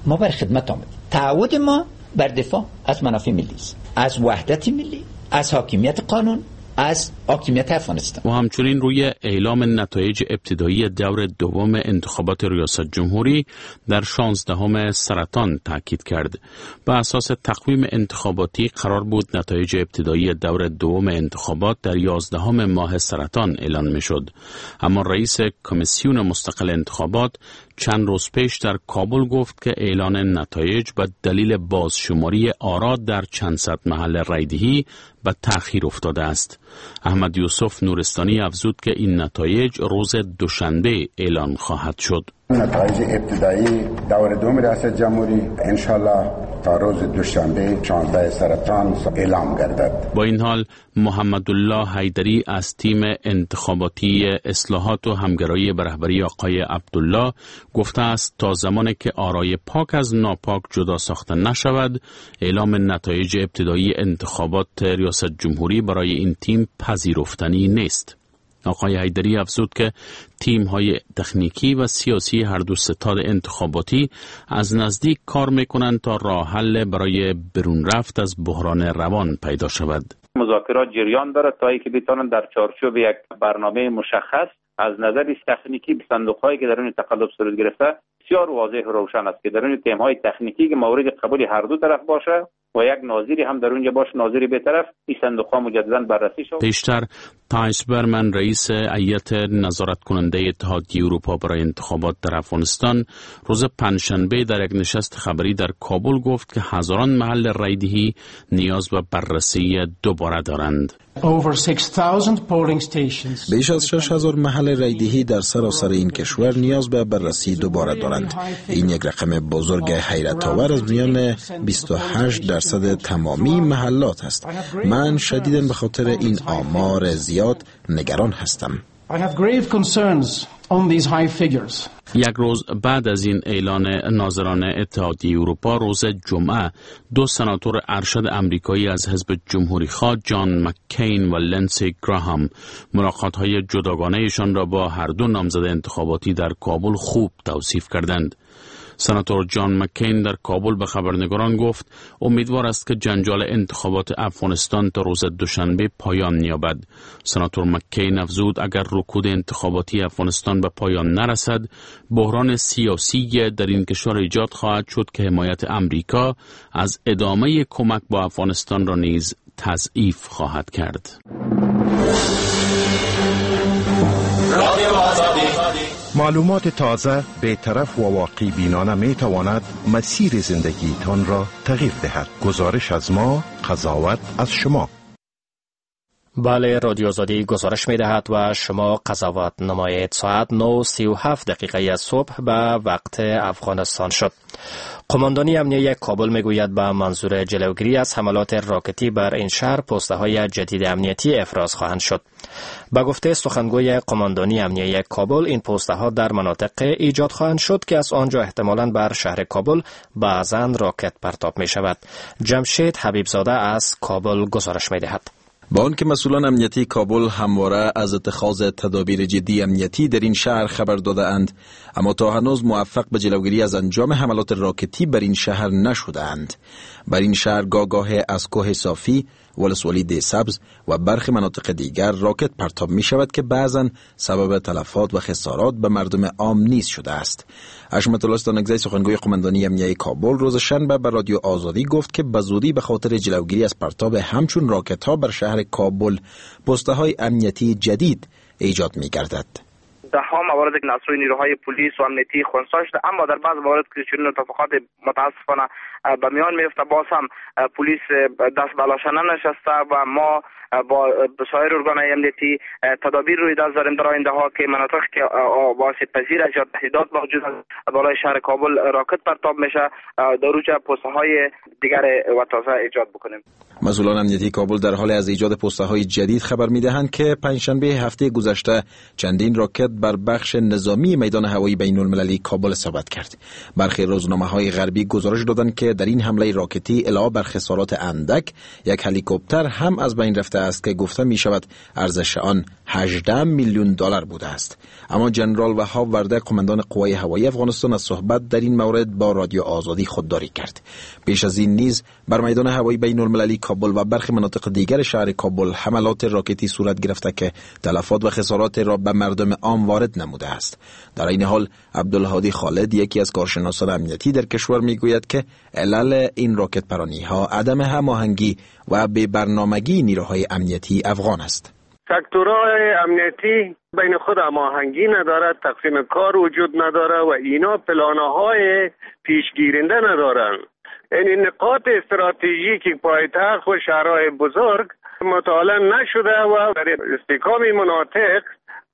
ما بر خدمت آمدیم. تعهد ما بر دفاع از منافع ملی است، از وحدت ملی، از حاکمیت قانون، از حاکمیت افغانستان. و همچنین روی اعلام نتایج ابتدایی دور دوم انتخابات ریاست جمهوری در 16 سرطان تاکید کرد. به اساس تقویم انتخاباتی قرار بود نتایج ابتدایی دور دوم انتخابات در 11 ماه سرطان اعلان می شد. اما رئیس کمیسیون مستقل انتخابات چند روز پیش در کابل گفت که اعلان نتایج به دلیل بازشماری آرا در چند صد محل رایدهی به تأخیر افتاده است. احمد یوسف نورستانی افزود که این نتایج روز دوشنبه اعلان خواهد شد. نتایج ابتدایی دور دوم ریاست جمهوری انشالله تا روز دوشنبه 16 سرطان اعلام گردد. با این حال محمدالله حیدری از تیم انتخاباتی اصلاحات و همگرایی به رهبری آقای عبدالله گفته است تا زمانی که آرای پاک از ناپاک جدا ساخته نشود، اعلام نتایج ابتدایی انتخابات ریاست جمهوری برای این تیم پذیرفتنی نیست. آقای حیدری افزود که تیم‌های تکنیکی و سیاسی هر دو ستاد انتخاباتی از نزدیک کار می‌کنند تا راه حل برای برون رفت از بحران روان پیدا شود. مذاکرات جریان دارد تا اینکه بتوانند در چارچوب یک برنامه مشخص از نظر تکنیکی صندوق‌هایی که در اون تقلب صورت گرفته بسیار واضح و روشن است که در اون تیم‌های تکنیکی که مورد قبول هر دو طرف باشه و یک ناظری هم در اونجا باشه، ناظری بی‌طرف، این صندوق‌ها مجدداً بررسی شود. پیشتر تایس برمن رئیس هیئت نظارت کننده اتحادیه اروپا برای انتخابات در افغانستان روز پنجشنبه در یک نشست خبری در کابل گفت که هزاران محل رایدهی نیاز به بررسی دوباره دارند. بیش از 6000 محل رایدهی در سراسر این کشور نیاز به بررسی دوباره دارند. این یک رقم بزرگ حیرت آور از میان 28% تمامی محلات است. من شدیداً به خاطر این آمار زیاد نگران هستم. یک روز بعد از این اعلان ناظران اتحادیه اروپا، روز جمعه دو سناتور ارشد امریکایی از حزب جمهوری خواه جان مک‌کین و لنسی گراهام ملاقات‌های جداگانه‌شان را با هر دو نامزد انتخاباتی در کابل خوب توصیف کردند. سناتور جان مک‌کین در کابل به خبرنگاران گفت امیدوار است که جنجال انتخابات افغانستان تا روز دوشنبه پایان یابد. سناتور مک‌کین افزود اگر رکود انتخاباتی افغانستان به پایان نرسد، بحران سیاسی در این کشور ایجاد خواهد شد که حمایت امریکا از ادامه کمک با افغانستان را نیز تضعیف خواهد کرد. معلومات تازه، بی‌طرف و واقع بینانه می تواند مسیر زندگیتان را تغییر دهد. گزارش از ما، قضاوت از شما. بله، رادیو آزادی گزارش می دهد و شما قضاوت نمایید. ساعت 9:37 صبح به وقت افغانستان شد. قماندانی امنیه کابل می گوید به منظور جلوگیری از حملات راکتی بر این شهر پوسته های جدید امنیتی افراز خواهند شد. به گفته سخنگوی قماندانی امنیه کابل، این پوسته ها در مناطق ایجاد خواهند شد که از آنجا احتمالاً بر شهر کابل بعضاً راکت پرتاب می شود. جمشید حبیبزاده از کابل گزارش می دهد. با آنکه مسئولان امنیتی کابل همواره از اتخاذ تدابیر جدی امنیتی در این شهر خبر داده اند، اما تا هنوز موفق به جلوگیری از انجام حملات راکتی بر این شهر نشده اند. بر این شهر گاگاه از کوه صافی، ولسوالی ده سبز و برخی مناطق دیگر راکت پرتاب می شود که بعضاً سبب تلفات و خسارات به مردم عام نیز شده است. حشمت الله ستانکزی سخنگوی قماندانی امنیه کابل روز شنبه به رادیو آزادی گفت که به زودی به خاطر جلوگیری از پرتاب همچون راکت ها بر شهر کابل پوسته های امنیتی جدید ایجاد می گردد. ده ها موارد که از نیروهای پلیس و امنیتی خنثی شده، اما در بعض موارد که چنین اتفاقات متاسفانه به میان میفته، باز هم پلیس دست به لاشه ننشسته و ما با سایر ارگان‌های امنیتی تدابیر روی دست داریم در آینده ها که مناطق که آسیب پذیر است یا تهدیدات موجود است بالای شهر کابل راکت پرتاب میشه در اونجا پوسته های دیگر و تازه ایجاد بکنیم. مسئولان امنیتی کابل در حال از ایجاد پوسته های جدید خبر میدهند که پنجشنبه هفته گذشته چندین راکت بر بخش نظامی میدان هوایی بین المللی کابل اصابت کرد. برخی روزنامه های غربی گزارش دادند که در این حمله راکتی علاوه بر خسارات اندک، یک هلیکوپتر هم از بین رفته است که گفته می شود ارزش آن 18 میلیون دلار بوده است. اما جنرال وهاب ورده قماندان قوای هوایی افغانستان از صحبت در این مورد با رادیو آزادی خودداری کرد. پیش از این نیز بر میدان هوایی بین المللی کابل و برخی مناطق دیگر شهر کابل حملات راکتی صورت گرفته که تلفات و خسارات را به مردم عام وارد نموده است. در این حال عبدالهادی خالد یکی از کارشناسان امنیتی در کشور میگوید که علل این راکت پرانی ها عدم هماهنگی و بی برنامگی نیروهای امنیتی افغان است. سکتورهای امنیتی بین خود هماهنگی نداره، تقسیم کار وجود نداره و اینا پلانهای پیشگیرنده ندارن. یعنی نقاط استراتژیک پایتخت و شهرهای بزرگ مطالعه نشده و برای استحکام مناطق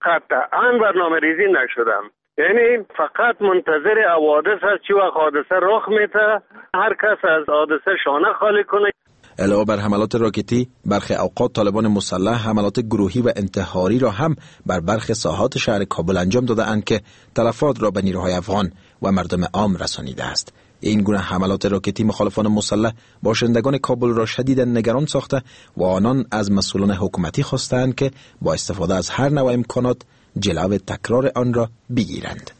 قطعا برنامه ریزی نشده. یعنی فقط منتظر حوادث است، چی وقت حادثه رخ میده هر کس از حادثه شانه خالی کنه. علاوه بر حملات راکتی، برخی اوقات طالبان مسلح حملات گروهی و انتحاری را هم بر برخی ساحات شهر کابل انجام داده‌اند که تلفات را به نیروهای افغان و مردم عام رسانیده است. این گونه حملات راکتی مخالفان مسلح باشندگان کابل را شدیداً نگران ساخته و آنان از مسئولان حکومتی خواستند که با استفاده از هر نوع امکانات جلو تکرار آن را بگیرند.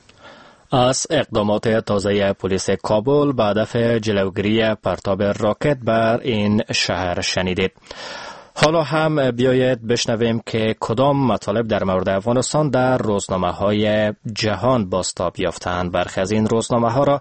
از اقدامات تازه پلیس کابل به هدف جلوگیری پرتاب راکت بر این شهر شنیدید. حالا هم بیایید بشنویم که کدام مطالب در مورد افغانستان در روزنامه‌های جهان بازتاب یافتند. برخی از این روزنامه‌ها را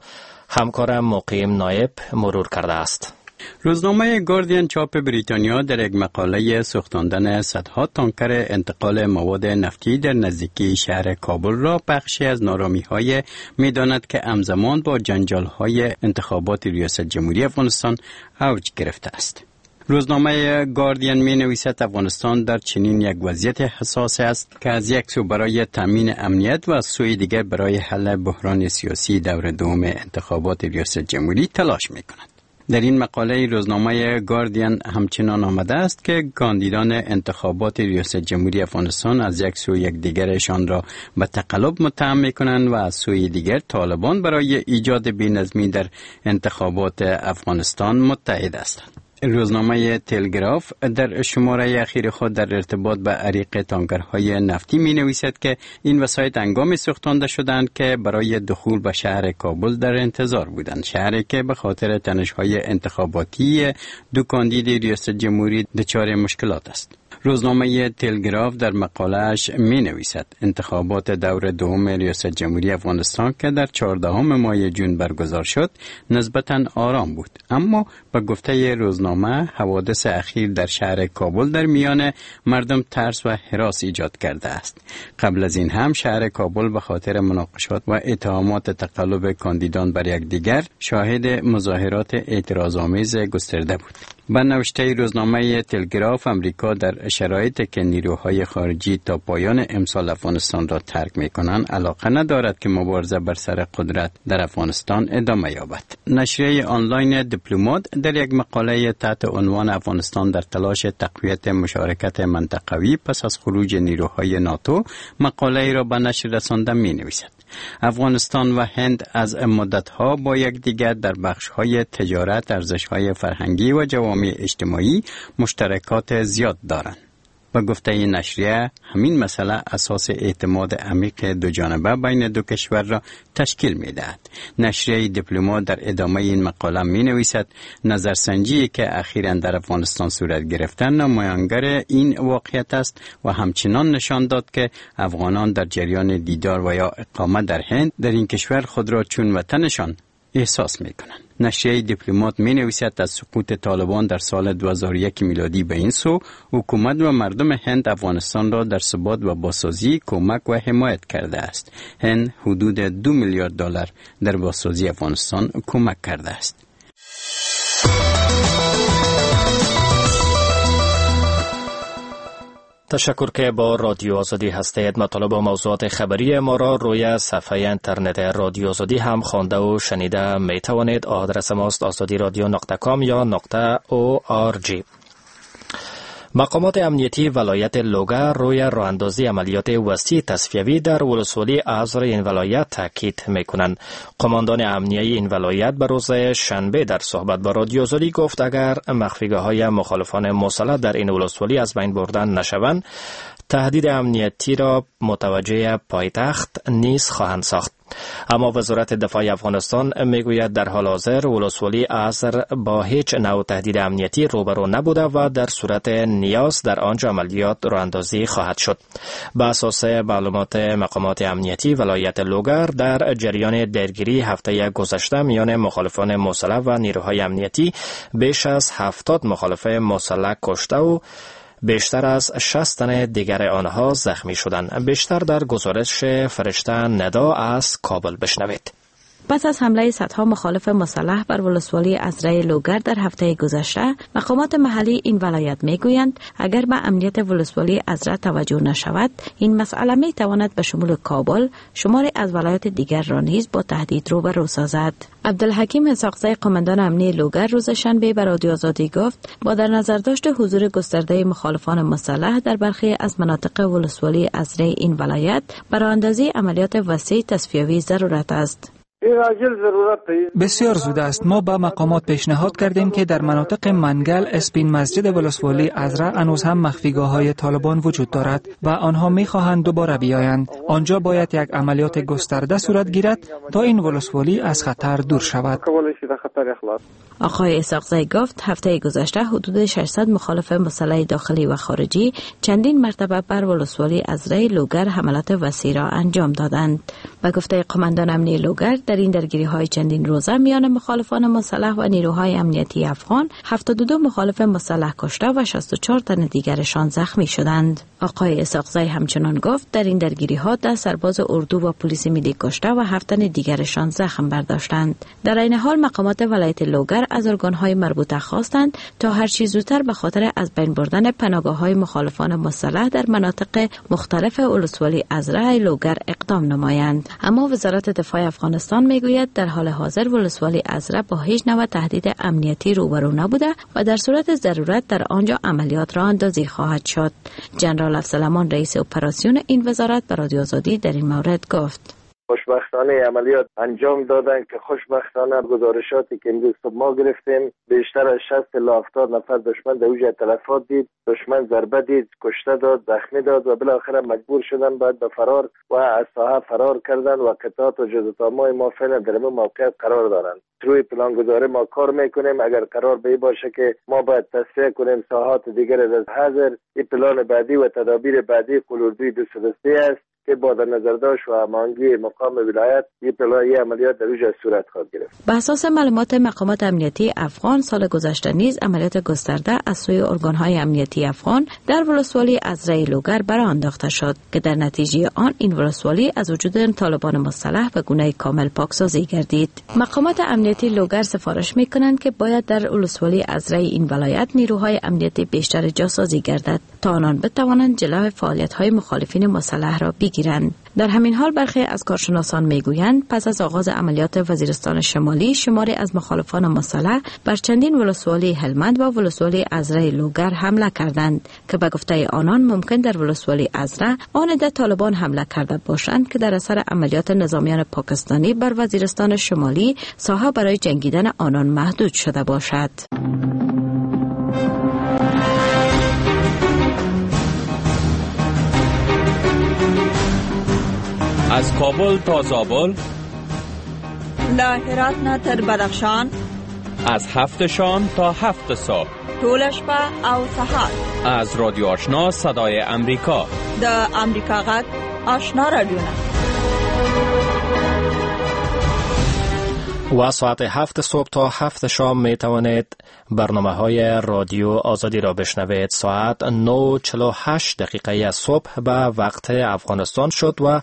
همکارم مقیم نایب مرور کرده است. روزنامه گاردین چاپ بریتانیا در یک مقاله سوختاندن صدها تانکر انتقال مواد نفتی در نزدیکی شهر کابل را بخشی از نارامی‌های می‌داند که همزمان با جنجال‌های انتخابات ریاست جمهوری افغانستان اوج گرفته است. روزنامه گاردین می نویسد افغانستان در چنین یک وضعیت حساس است که از یک سو برای تامین امنیت و از سوی دیگر برای حل بحران سیاسی دور دوم انتخابات ریاست جمهوری تلاش می کند. در این مقاله روزنامه گاردین همچنان آمده است که کاندیدان انتخابات ریاست جمهوری افغانستان از یک سو یکدیگرشان را به تقلب متهم می‌کنند و از سوی دیگر طالبان برای ایجاد بی‌نظمی در انتخابات افغانستان متحد هستند. روزنامه تلگراف در شماره اخیر خود در ارتباط به عریق تانکرهای نفتی می نویسد که این وسایط هنگامی سوختانده شدند که برای دخول به شهر کابل در انتظار بودند، شهری که به خاطر تنش‌های انتخاباتی دو کاندید ریاست جمهوری دچار مشکلات است. روزنامه تلگراف در مقاله‌اش می نویسد انتخابات دور دوم ریاست جمهوری افغانستان که در 14 ماه جون برگزار شد نسبتاً آرام بود، اما به گفته روزنامه حوادث اخیر در شهر کابل در میان مردم ترس و هراس ایجاد کرده است. قبل از این هم شهر کابل به خاطر مناقشات و اتهامات تقلب کاندیدان بر یکدیگر شاهد مظاهرات اعتراض‌آمیز گسترده بود. به نوشته روزنامه تلگراف، امریکا در شرایطی که نیروهای خارجی تا پایان امسال افغانستان را ترک می‌کنند علاقه ندارد که مبارزه بر سر قدرت در افغانستان ادامه یابد. نشریه آنلاین دیپلمات در یک مقاله تحت عنوان افغانستان در تلاش تقویت مشارکت منطقوی پس از خروج نیروهای ناتو مقاله را به نشر رسانده می‌نویسد. افغانستان و هند از مدت‌ها با یکدیگر در بخش‌های تجارت، ارزش‌های فرهنگی و جوامع اجتماعی مشترکات زیاد دارند. به گفته این نشریه، همین مسئله اساس اعتماد عمیق دو جانبه بین دو کشور را تشکیل می‌دهد. نشریه دیپلمات در ادامه این مقاله می‌نویسد نظرسنجی که اخیراً در افغانستان صورت گرفته نمایانگر این واقعیت است و همچنان نشان داد که افغانان در جریان دیدار و یا اقامه در هند در این کشور خود را چون وطنشان احساس می‌کنند. نشریه دیپلمات می‌نویسد از سقوط طالبان در سال 2001 میلادی به این سو حکومت و مردم هند افغانستان را در ثبات و بازسازی کمک و حمایت کرده است. هند حدود 2 میلیارد دلار در بازسازی افغانستان کمک کرده است. تشکر که با رادیو آزادی هستید. مطالب و موضوعات خبری ما را روی صفحه اینترنت رادیو آزادی هم خوانده و شنیده می توانید. آدرس ماست azadiradio.com یا .org. مقامات امنیتی ولایت لوگر روی راه اندازی عملیات وسیع تصفیوی در ولسوالی ازر این ولایت تاکید میکنند. قماندان امنیتی این ولایت به روز شنبه در صحبت با رادیو آزادی گفت اگر مخفیگاه‌های مخالفان مسلح در این ولسوالی از بین بردن نشوند، تهدید امنیتی را متوجه پایتخت نیز خواهند ساخت. اما وزارت دفاع افغانستان میگوید در حال حاضر ولسوالی ازر با هیچ نوع تهدید امنیتی روبرو نبوده و در صورت نیاز در آنجا عملیات راه اندازی خواهد شد. به اساس معلومات مقامات امنیتی ولایت لوگر در جریان درگیری هفته گذشته میان مخالفان مسلح و نیروهای امنیتی بیش از 70 مخالف مسلح کشته و بیشتر از 60 تن دیگر آنها زخمی شدند. بیشتر در گزارش فرشته ندا از کابل بشنوید. پس از حمله صدها مخالف مسلح بر ولسوالی ازره لوگر در هفته گذشته، مقامات محلی این ولایت میگویند اگر به امنیت ولسوالی ازره توجه نشود، این مسئله می تواند به شمول کابل شماری از ولایات دیگر را نیز با تهدید روبرو سازد. عبدالحکیم اسحاقزی قماندان امنی لوگر روز شنبه به رادیو آزادی گفت با در نظر داشت حضور گسترده مخالفان مسلح در برخی از مناطق ولسوالی ازره این ولایت، برای اندازی عملیات وسیع تصفیوی ضرورت است. بسیار زود است. ما به مقامات پیشنهاد کردیم که در مناطق منگل، اسپین مسجد ولسوالی ازره هنوز هم مخفیگاه های طالبان وجود دارد و آنها می خواهند دوباره بیایند. آنجا باید یک عملیات گسترده صورت گیرد تا این ولسوالی از خطر دور شود. آقای اسحاقزی گفت هفته گذشته حدود 600 مخالف مسلح داخلی و خارجی چندین مرتبه بر ولسوالی ازره لوگر حملات وسیع را انجام دادند. به گفته قماندان امنی لوگر در این درگیری های چندین روزه میان مخالفان مسلح و نیروهای امنیتی افغان 72 مخالف مسلح کشته و 64 تن دیگرشان زخمی شدند. آقای اسحاقزی همچنان گفت در این درگیری ها 10 سرباز اردو و پلیس ملی کشته و 7 تن دیگرشان زخم برداشتند. در این حال مقامات ولایت لوگر از ارگان‌های مربوطه خواستند تا هر چیز زودتر به خاطر از بین بردن پناهگاه‌های مخالفان مسلح در مناطق مختلف ولسوالی ازره لوگر اقدام نمایند. اما وزارت دفاع افغانستان میگوید در حال حاضر ولسوالی ازره با هیچ نوع تهدید امنیتی روبرو نبوده و در صورت ضرورت در آنجا عملیات را اندازی خواهد شد. جنرال افضل رئیس اپراسیون این وزارت به رادیو آزادی در این مورد گفت: خوشبختانه عملیات انجام دادن که خوشبختانه گزارشاتی که امروز صبح ما گرفتیم بیشتر از 60 الی 70 نفر دشمن در اوج تلفات دید، دشمن ضربه دید، کشته داد، زخمی داد و بالاخره مجبور شدن بعد به فرار و از ساحه فرار کردن و قطعات و جزء ما فعلا در این موقعیت قرار دارند. روی پلانگذاری ما کار میکنیم. اگر قرار به باشه که ما باید تصفیه کنیم ساحات دیگر از حاضر، این پلان بعدی و تدابیر بعدی قلوردوی 203 است که با در نظر داشت و هماهنگی مقام ولایت این عملیات در اوج صورت خواهد گرفت. به اساس معلومات مقامات امنیتی افغان سال گذشته نیز عملیات گسترده از سوی ارگان‌های امنیتی افغان در ولسوالی ازره لوگر براه انداخته شد که در نتیجه آن این ولسوالی از وجود طالبان مسلح به گونه کامل پاکسازی گردید. مقامات امنیتی لوگر سفارش می‌کنند که باید در ولسوالی ازره این ولایت نیروهای امنیتی بیشتر جاسازی گردد تا آنان بتوانند جلو فعالیت‌های مخالفین مسلح را بگیرند. در همین حال برخی از کارشناسان میگویند پس از آغاز عملیات وزیرستان شمالی شماری از مخالفان مسلح بر چندین ولسوالی هلمند و ولسوالی ازره لوگر حمله کردند که به گفته آنان ممکن در ولسوالی ازره آن عده طالبان حمله کرده باشند که در اثر عملیات نظامیان پاکستانی بر وزیرستان شمالی ساحه برای جنگیدن آنان محدود شده باشد. از کابل تا زابل، له هرات نه تر بدخشان، از 7 شام تا 7 صبح، ټوله شپه او سهار، از رادیو آشنا صدای امریکا، د امریکا غږ آشنا رادیو. و ساعت 7 صبح تا 7 شام می توانید برنامه های رادیو آزادی را بشنوید. ساعت 9:48 دقیقه صبح به وقت افغانستان شد و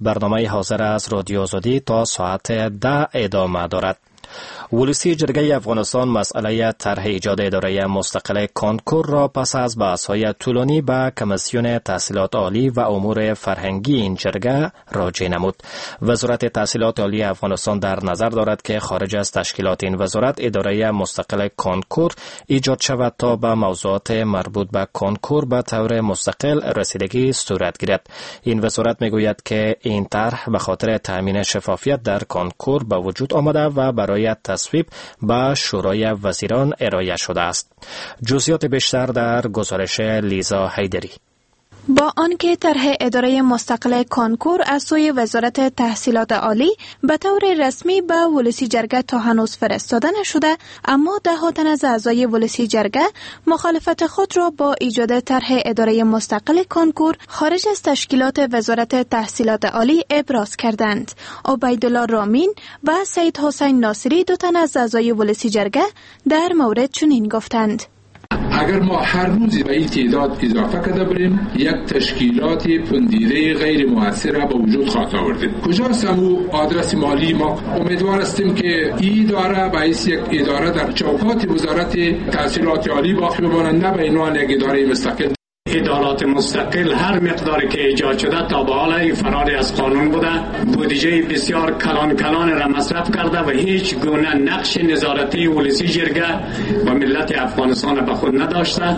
برنامه حاضر از رادیو آزادی تا ساعت 10 ادامه دارد. ولسی جرگه افغانستان مسئله طرح ایجاد اداره مستقل کنکور را پس از بحث‌های طولانی به کمیسیون تحصیلات عالی و امور فرهنگی این جرگه راجع نمود. وزارت تحصیلات عالی افغانستان در نظر دارد که خارج از تشکیلات این وزارت اداره مستقل کنکور ایجاد شود تا به موضوعات مربوط به کنکور به طور مستقل رسیدگی صورت گیرد. این وزارت میگوید که این طرح به خاطر تامین شفافیت در کنکور به وجود آمده و برای تصویب به شورای وزیران ارائه شده است. جزئیات بیشتر در گزارش لیزا حیدری. با آنکه طرح اداره مستقل کنکور از سوی وزارت تحصیلات عالی به طور رسمی به ولسی جرگه تا هنوز فرستاده نشده، اما ده تن از اعضای ولسی جرگه مخالفت خود را با ایجاد طرح اداره مستقل کنکور خارج از تشکیلات وزارت تحصیلات عالی ابراز کردند. عبیدالله رامین و سید حسین ناصری دو تن از اعضای ولسی جرگه در مورد چنین گفتند: اگر ما هر روز به این تعداد اضافه کرده بریم، یک تشکیلات پندیده غیر مؤثر به وجود خواهد آوردیم. کجاست امو آدرس مالی ما؟ امیدوار هستیم که این اداره به حیث یک اداره در چوکات وزارت تحصیلات عالی باقی بماند، نه به عنوان یک اداره مستقل. ادارات مستقل هر مقداری که ایجاد شده تا به حال فراری از قانون بوده، بودجه بسیار کلان کلان را مصرف کرده و هیچ گونه نقش نظارتی ولسی جرگه و ملت افغانستان به خود نداشته.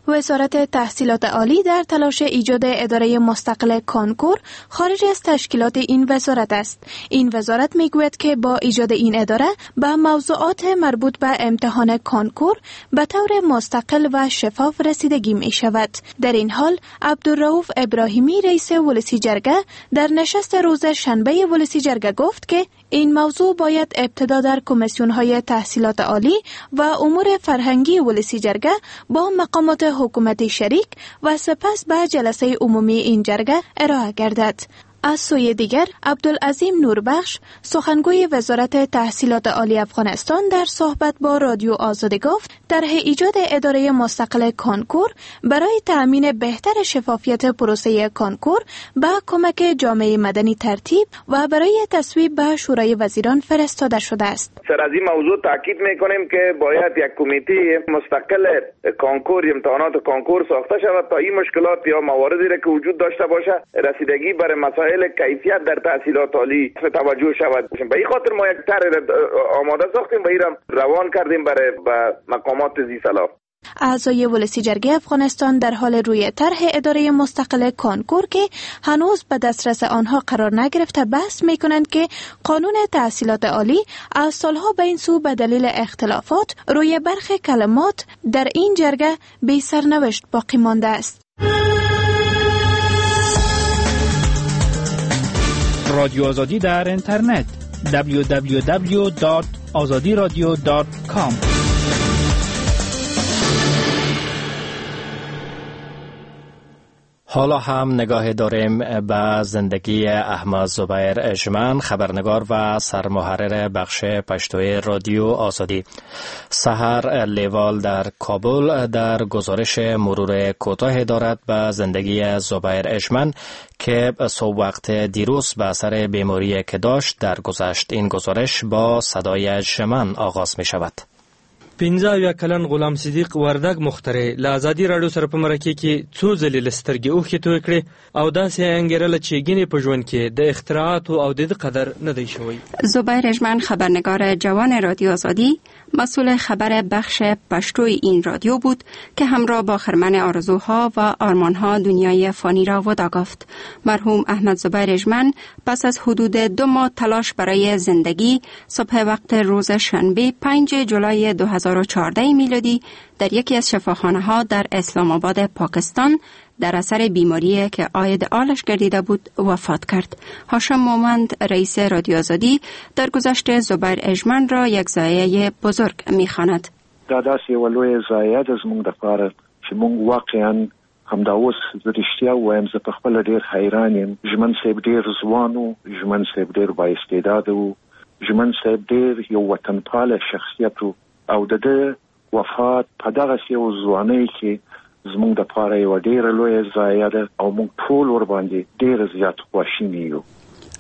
وزارت تحصیلات عالی در تلاش ایجاد اداره مستقل کانکور خارج از تشکیلات این وزارت است. این وزارت میگوید که با ایجاد این اداره به موضوعات مربوط به امتحان کانکور به طور مستقل و شفاف رسیدگی می شود. در این حال عبدالرؤوف ابراهیمی رئیس ولسی جرگه در نشست روز شنبه ولسی جرگه گفت که این موضوع باید ابتدا در کمیسیون‌های تحصیلات عالی و امور فرهنگی ولسی جرگه با مقامات حکومت شریک و سپس به جلسه عمومی این جرگه ارائه گردد. از سوی دیگر عبدالعظیم نوربخش سخنگوی وزارت تحصیلات عالی افغانستان در صحبت با رادیو آزادی گفت طرح ایجاد اداره مستقل کانکور برای تأمین بهتر شفافیت پروسه کانکور به کمک جامعه مدنی ترتیب و برای تصویب به شورای وزیران فرستاده شده است. سر از این موضوع تاکید میکنیم که باید یک کمیته مستقل کانکور امتحانات کانکور ساخته شود تا این مشکلات یا مواردی را که وجود داشته باشه رسیدگی برای مسائل کیفیت در تحصیلات عالی توجه شود. به این خاطر ما یک طرح آماده ساختیم و این را روان کردیم برای مقامات ذی‌صلاح. اعضای ولسی جرگه افغانستان در حال روی طرح اداره مستقل کانکور که هنوز به دسترس آنها قرار نگرفته بحث می‌کنند که قانون تحصیلات عالی از سالها به این سو به دلیل اختلافات روی برخی کلمات در این جرگه بی سرنوشت باقی مانده است. رادیو آزادی در اینترنت www.azadiradio.com. حالا هم نگاه داریم به زندگی احمد زبیر ژمن، خبرنگار و سرمحرر بخش پشتوی رادیو آزادی. سحر لیوال در کابل در گزارش مرور کوتاه دارد به زندگی زبیر ژمن که صبح وقت دیروز به اثر بیماری که داشت درگذشت. این گزارش با صدای ژمن آغاز می شود. 75 کلن غلام صدیق وردګ مخترع له ازادي راډیو سره په مرکه کې څو ځلې له سترګې اوښکې تویې کړې او داسې یې انګېرله چې ګینې په ژوند کې د اختراعاتو او د ده قدر نه دی شوی. زبیر ژمن، خبرنگار جوان رادیو آزادی، مسئول خبر بخش پشتوی این رادیو بود که همراه با خرمن آرزوها و آرمانها دنیای فانی را ودا گفت. مرحوم احمد زبیر ژمن پس از حدود 2 ماه تلاش برای زندگی، صبح وقت روز شنبه 5 جولای 2014 میلادی در یکی از شفاخانه ها در اسلام آباد پاکستان در اثر بیماری که عاید آلش گردیده بود وفات کرد. هاشم مومند، رئیس رادیو آزادی، در گذشت زبیر ژمن را یک ضایعه بزرگ می‌خواند. دا داسې یوه لویه ضایعه ده زموږ دپاره چې موږ واقعا همدا اوس زه رښتیا ووایم، زه په خپله ډېر حیران یم. ژمن صاحب ډېر ځوان و، ژمن صاحب ډېر با استعداد و، ژمن صاحب ډېر یو وطنپاله شخصیت و او د ده وفات په دغسې یو ځوانۍ کې زموږ دپاره یوه ډېره لویه ضایعه ده او موږ ټول ورباندې ډېر زیات خواشیني یو.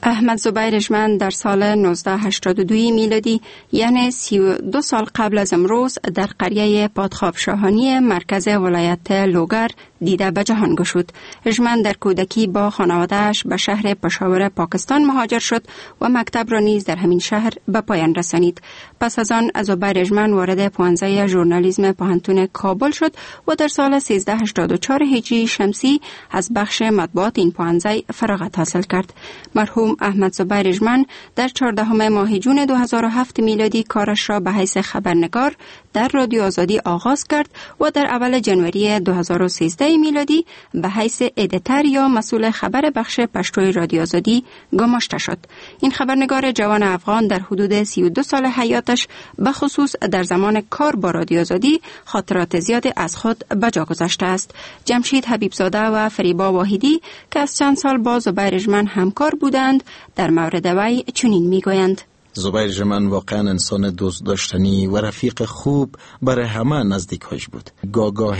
احمد زبیر ژمن در سال 1982 میلادی، یعنی 32 سال قبل از امروز، در قریه پادخواب شاهانی مرکز ولایت لوگر دیده به جهان گشود. ژمن در کودکی با خانواده‌اش به شهر پشاور پاکستان مهاجر شد و مکتب را نیز در همین شهر به پایان رسانید. پس از آن زبیر ژمن وارد پوهنځی ژورنالیسم پوهنتون کابل شد و در سال 1384 هجری شمسی از بخش مطبوعات این پوهنځی فراغت حاصل کرد. مرحوم احمد زبیر ژمن در 14 ماه جون 2007 میلادی کارش را به حیث خبرنگار در رادیو آزادی آغاز کرد و در اول جنوری 2013 میلادی به حیث editor یا مسئول خبر بخش پشتوی رادیو آزادی گماشته شد. این خبرنگار جوان افغان در حدود 32 سال حیاتش، به خصوص در زمان کار با رادیو آزادی، خاطرات زیاد از خود به جا گذاشته است. جمشید حبیبزاده و فریبا واحدی که از چند سال با زبیر ژمن همکار بودند، در مورد وی چنین میگویند: زبیر ژمن واقعا انسان دوست داشتنی و رفیق خوب برای همه نزدیکهاش بود. گاه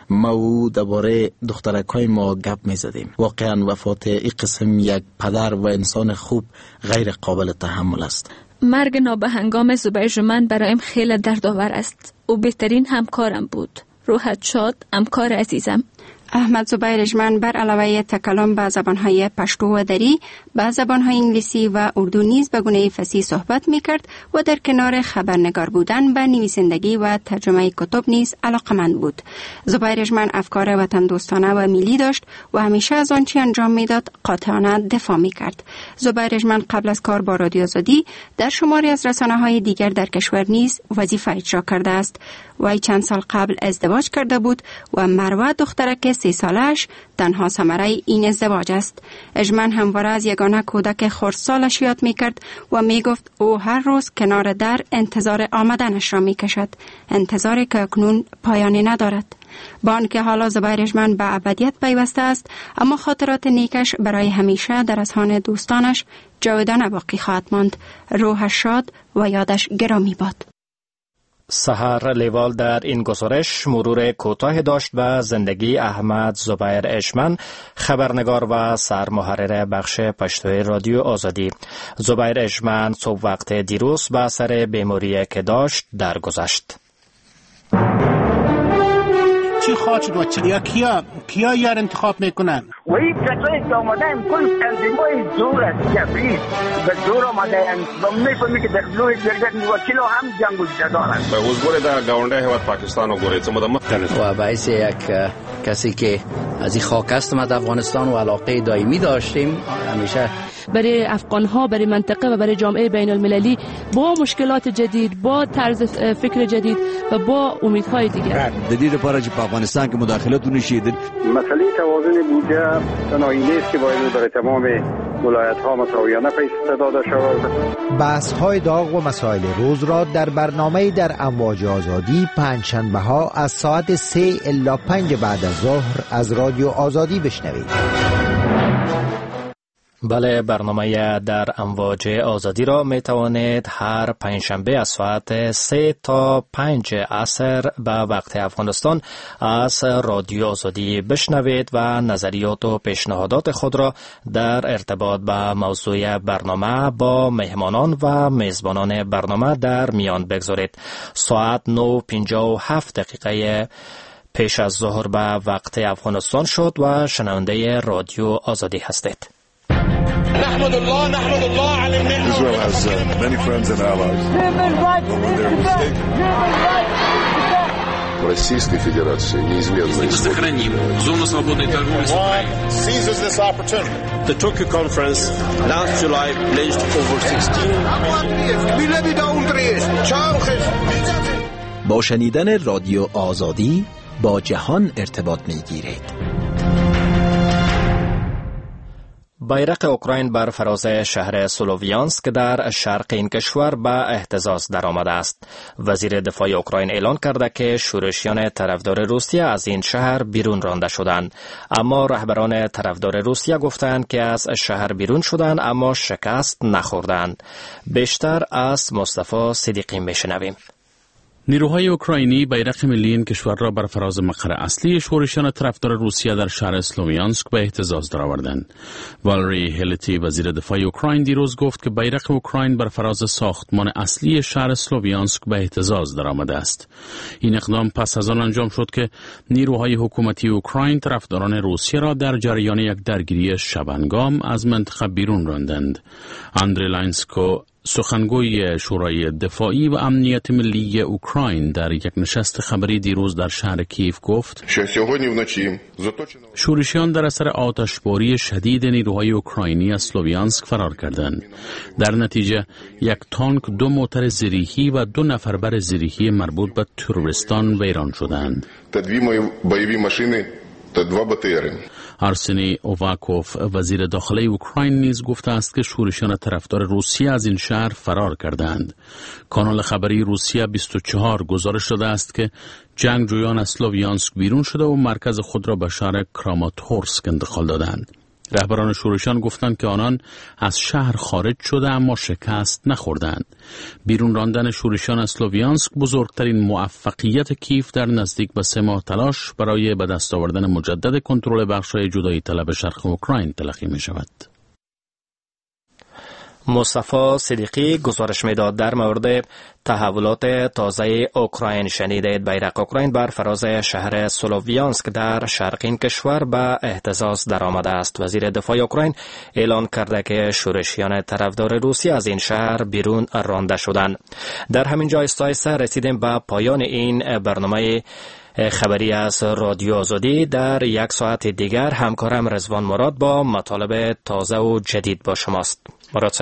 ما او درباره دخترک‌های ما گپ می‌زدیم. واقعا وفات این قسم یک پدر و انسان خوب غیر قابل تحمل است. مرگ نابهنگام زبیر ژمن برایم خیلی دردآور است. او بهترین همکارم بود. روحت شاد، همکار عزیزم. احمد زبیر ژمن بر علاوه تکلم به زبانهای پشتو و دری، به زبانهای انگلیسی و اردو نیز به گونه فصیح صحبت میکرد و در کنار خبرنگار بودن به نویسندگی و ترجمه کتب نیز علاقمند بود. زبیر ژمن افکار وطن دوستانه و ملی داشت و همیشه از آنچه انجام میداد قاطعانه دفاع میکرد. زبیر ژمن قبل از کار با رادیو آزادی در شماری از رسانه‌های دیگر در کشور نیز وظیفه اجرا کرده است. وی چند سال قبل ازدواج کرده بود و مروه دخترک 3 سالش تنها ثمره این ازدواج است. ژمن همواره از یگانه کودک خردسالش یاد میکرد و میگفت او هر روز کنار در انتظار آمدنش را میکشد، انتظاری که اکنون پایانی ندارد. با آنکه حالا زبیر ژمن به ابدیت پیوسته است، اما خاطرات نیکش برای همیشه در اذهان دوستانش جاودانه باقی خواهد ماند. روحش شاد و یادش گرامی باد. سحر لیوال در این گزارش مرور کوتاه داشت به زندگی احمد زبیر ژمن، خبرنگار و سرمحرر بخش پشتوی رادیو آزادی. زبیر ژمن صبح وقت دیروز به اثر بیماری که داشت درگذشت. چی خواهد و چی یا کیا یار انتخاب میکنن؟ و این کسایی که آمدن کل تنظیمای زور است، جبری به زور آمدن و میفهمی که در لوی جرگه وکیل هم جنگ و جدال است. اوس ګوره دا گاونډی هیواد پاکستان وګورئ څه موده مخکې و باعث یک کسی که از این خاک است ما در افغانستان و علاقه دائمی داشتیم همیشه برای افغان ها، برای منطقه و برای جامعه بین المللی با مشکلات جدید، با طرز فکر جدید و با امیدهای دیگر. د دې لپاره چې په افغانستان کې مداخله ونشي. مسئله توازن بودجه تنهایی نیست که باید برای تمام ولایت ها مساویانه پیسه داده شود. بحث های داغ و مسائل روز را در برنامه در امواج آزادی پنجشنبه ها از ساعت 3 الی 5 بعد از ظهر از رادیو آزادی بشنوید. بله، برنامه در امواج آزادی را می توانید هر پنجشنبه از ساعت 3 تا 5 عصر به وقت افغانستان از رادیو آزادی بشنوید و نظریات و پیشنهادات خود را در ارتباط با موضوع برنامه با مهمانان و میزبانان برنامه در میان بگذارید. ساعت 9:57 دقیقه پیش از ظهر به وقت افغانستان شد و شنونده رادیو آزادی هستید. نحمد الله نحمد الله على النعمة. Israel has many friends and allies. Human rights is the best. Human rights is the best. Российской Федерации неизменно. Мы сохраним зону свободной торговли с Украиной. Seizes this opportunity. The Tokyo conference last July pledged over 16. با شنیدن رادیو آزادی با جهان ارتباط می‌گیرید. بیرق اوکراین بر فراز شهر سلوویانسک در شرق این کشور به اهتزاز درآمده است. وزیر دفاع اوکراین اعلان کرده که شورشیان طرفدار روسیه از این شهر بیرون رانده شدند. اما رهبران طرفدار روسیه گفتند که از شهر بیرون شدند اما شکست نخوردند. بیشتر از مصطفی صدیقی میشنویم. نیروهای اوکراینی بیرق ملی این کشور را بر فراز مقر اصلی شورشیان طرفدار روسیه در شهر اسلومیانسک به اهتزاز درآوردند. والری هلتی وزیر دفاع اوکراین دیروز گفت که بیرق اوکراین بر فراز ساختمان اصلی شهر اسلومیانسک به اهتزاز درآمده است. این اقدام پس از آن انجام شد که نیروهای حکومتی اوکراین طرفداران روسیه را در جریان یک درگیری شبنگام از منطقه بیرون راندند. اندری لاینسکو سخنگوی شورای دفاعی و امنیت ملی اوکراین در یک نشست خبری دیروز در شهر کیف گفت شورشیان در اثر آتشباری شدید نیروهای اوکراینی از سلوویانسک فرار کردند. در نتیجه یک تانک، 2 موتر زرهی و 2 نفربر زرهی مربوط به تروریستان ویران شدند. آرسنی اوواکوف وزیر داخله اوکراین نیز گفته است که شورشیان طرفدار روسیه از این شهر فرار کردند. کانال خبری روسیه 24 گزارش داده است که جنگجویان از سلوویانسک بیرون شده و مرکز خود را به شهر کراماتورسک انتقال دادند. رهبران شورشیان گفتند که آنان از شهر خارج شده اما شکست نخوردند. بیرون راندن شورشیان از سلوویانسک بزرگترین موفقیت کیف در نزدیک به 3 ماه تلاش برای به دست آوردن مجدد کنترل بخش‌های جدایی طلب شرق اوکراین تلقی می شود. مصطفی صدیقی گزارش میداد در مورد تحولات تازه اوکراین. شنیدید بیرق اوکراین بر فراز شهر سلوویانسک در شرق این کشور به اهتزاز درآمده است. وزیر دفاع اوکراین اعلان کرده که شورشیان طرفدار روسیه از این شهر بیرون رانده شدند. در همین جای آهسته رسیدیم به پایان این برنامه خبری از رادیو آزادی. در یک ساعت دیگر همکارم رضوان مراد با مطالب تازه و جدید با شماست. مراد.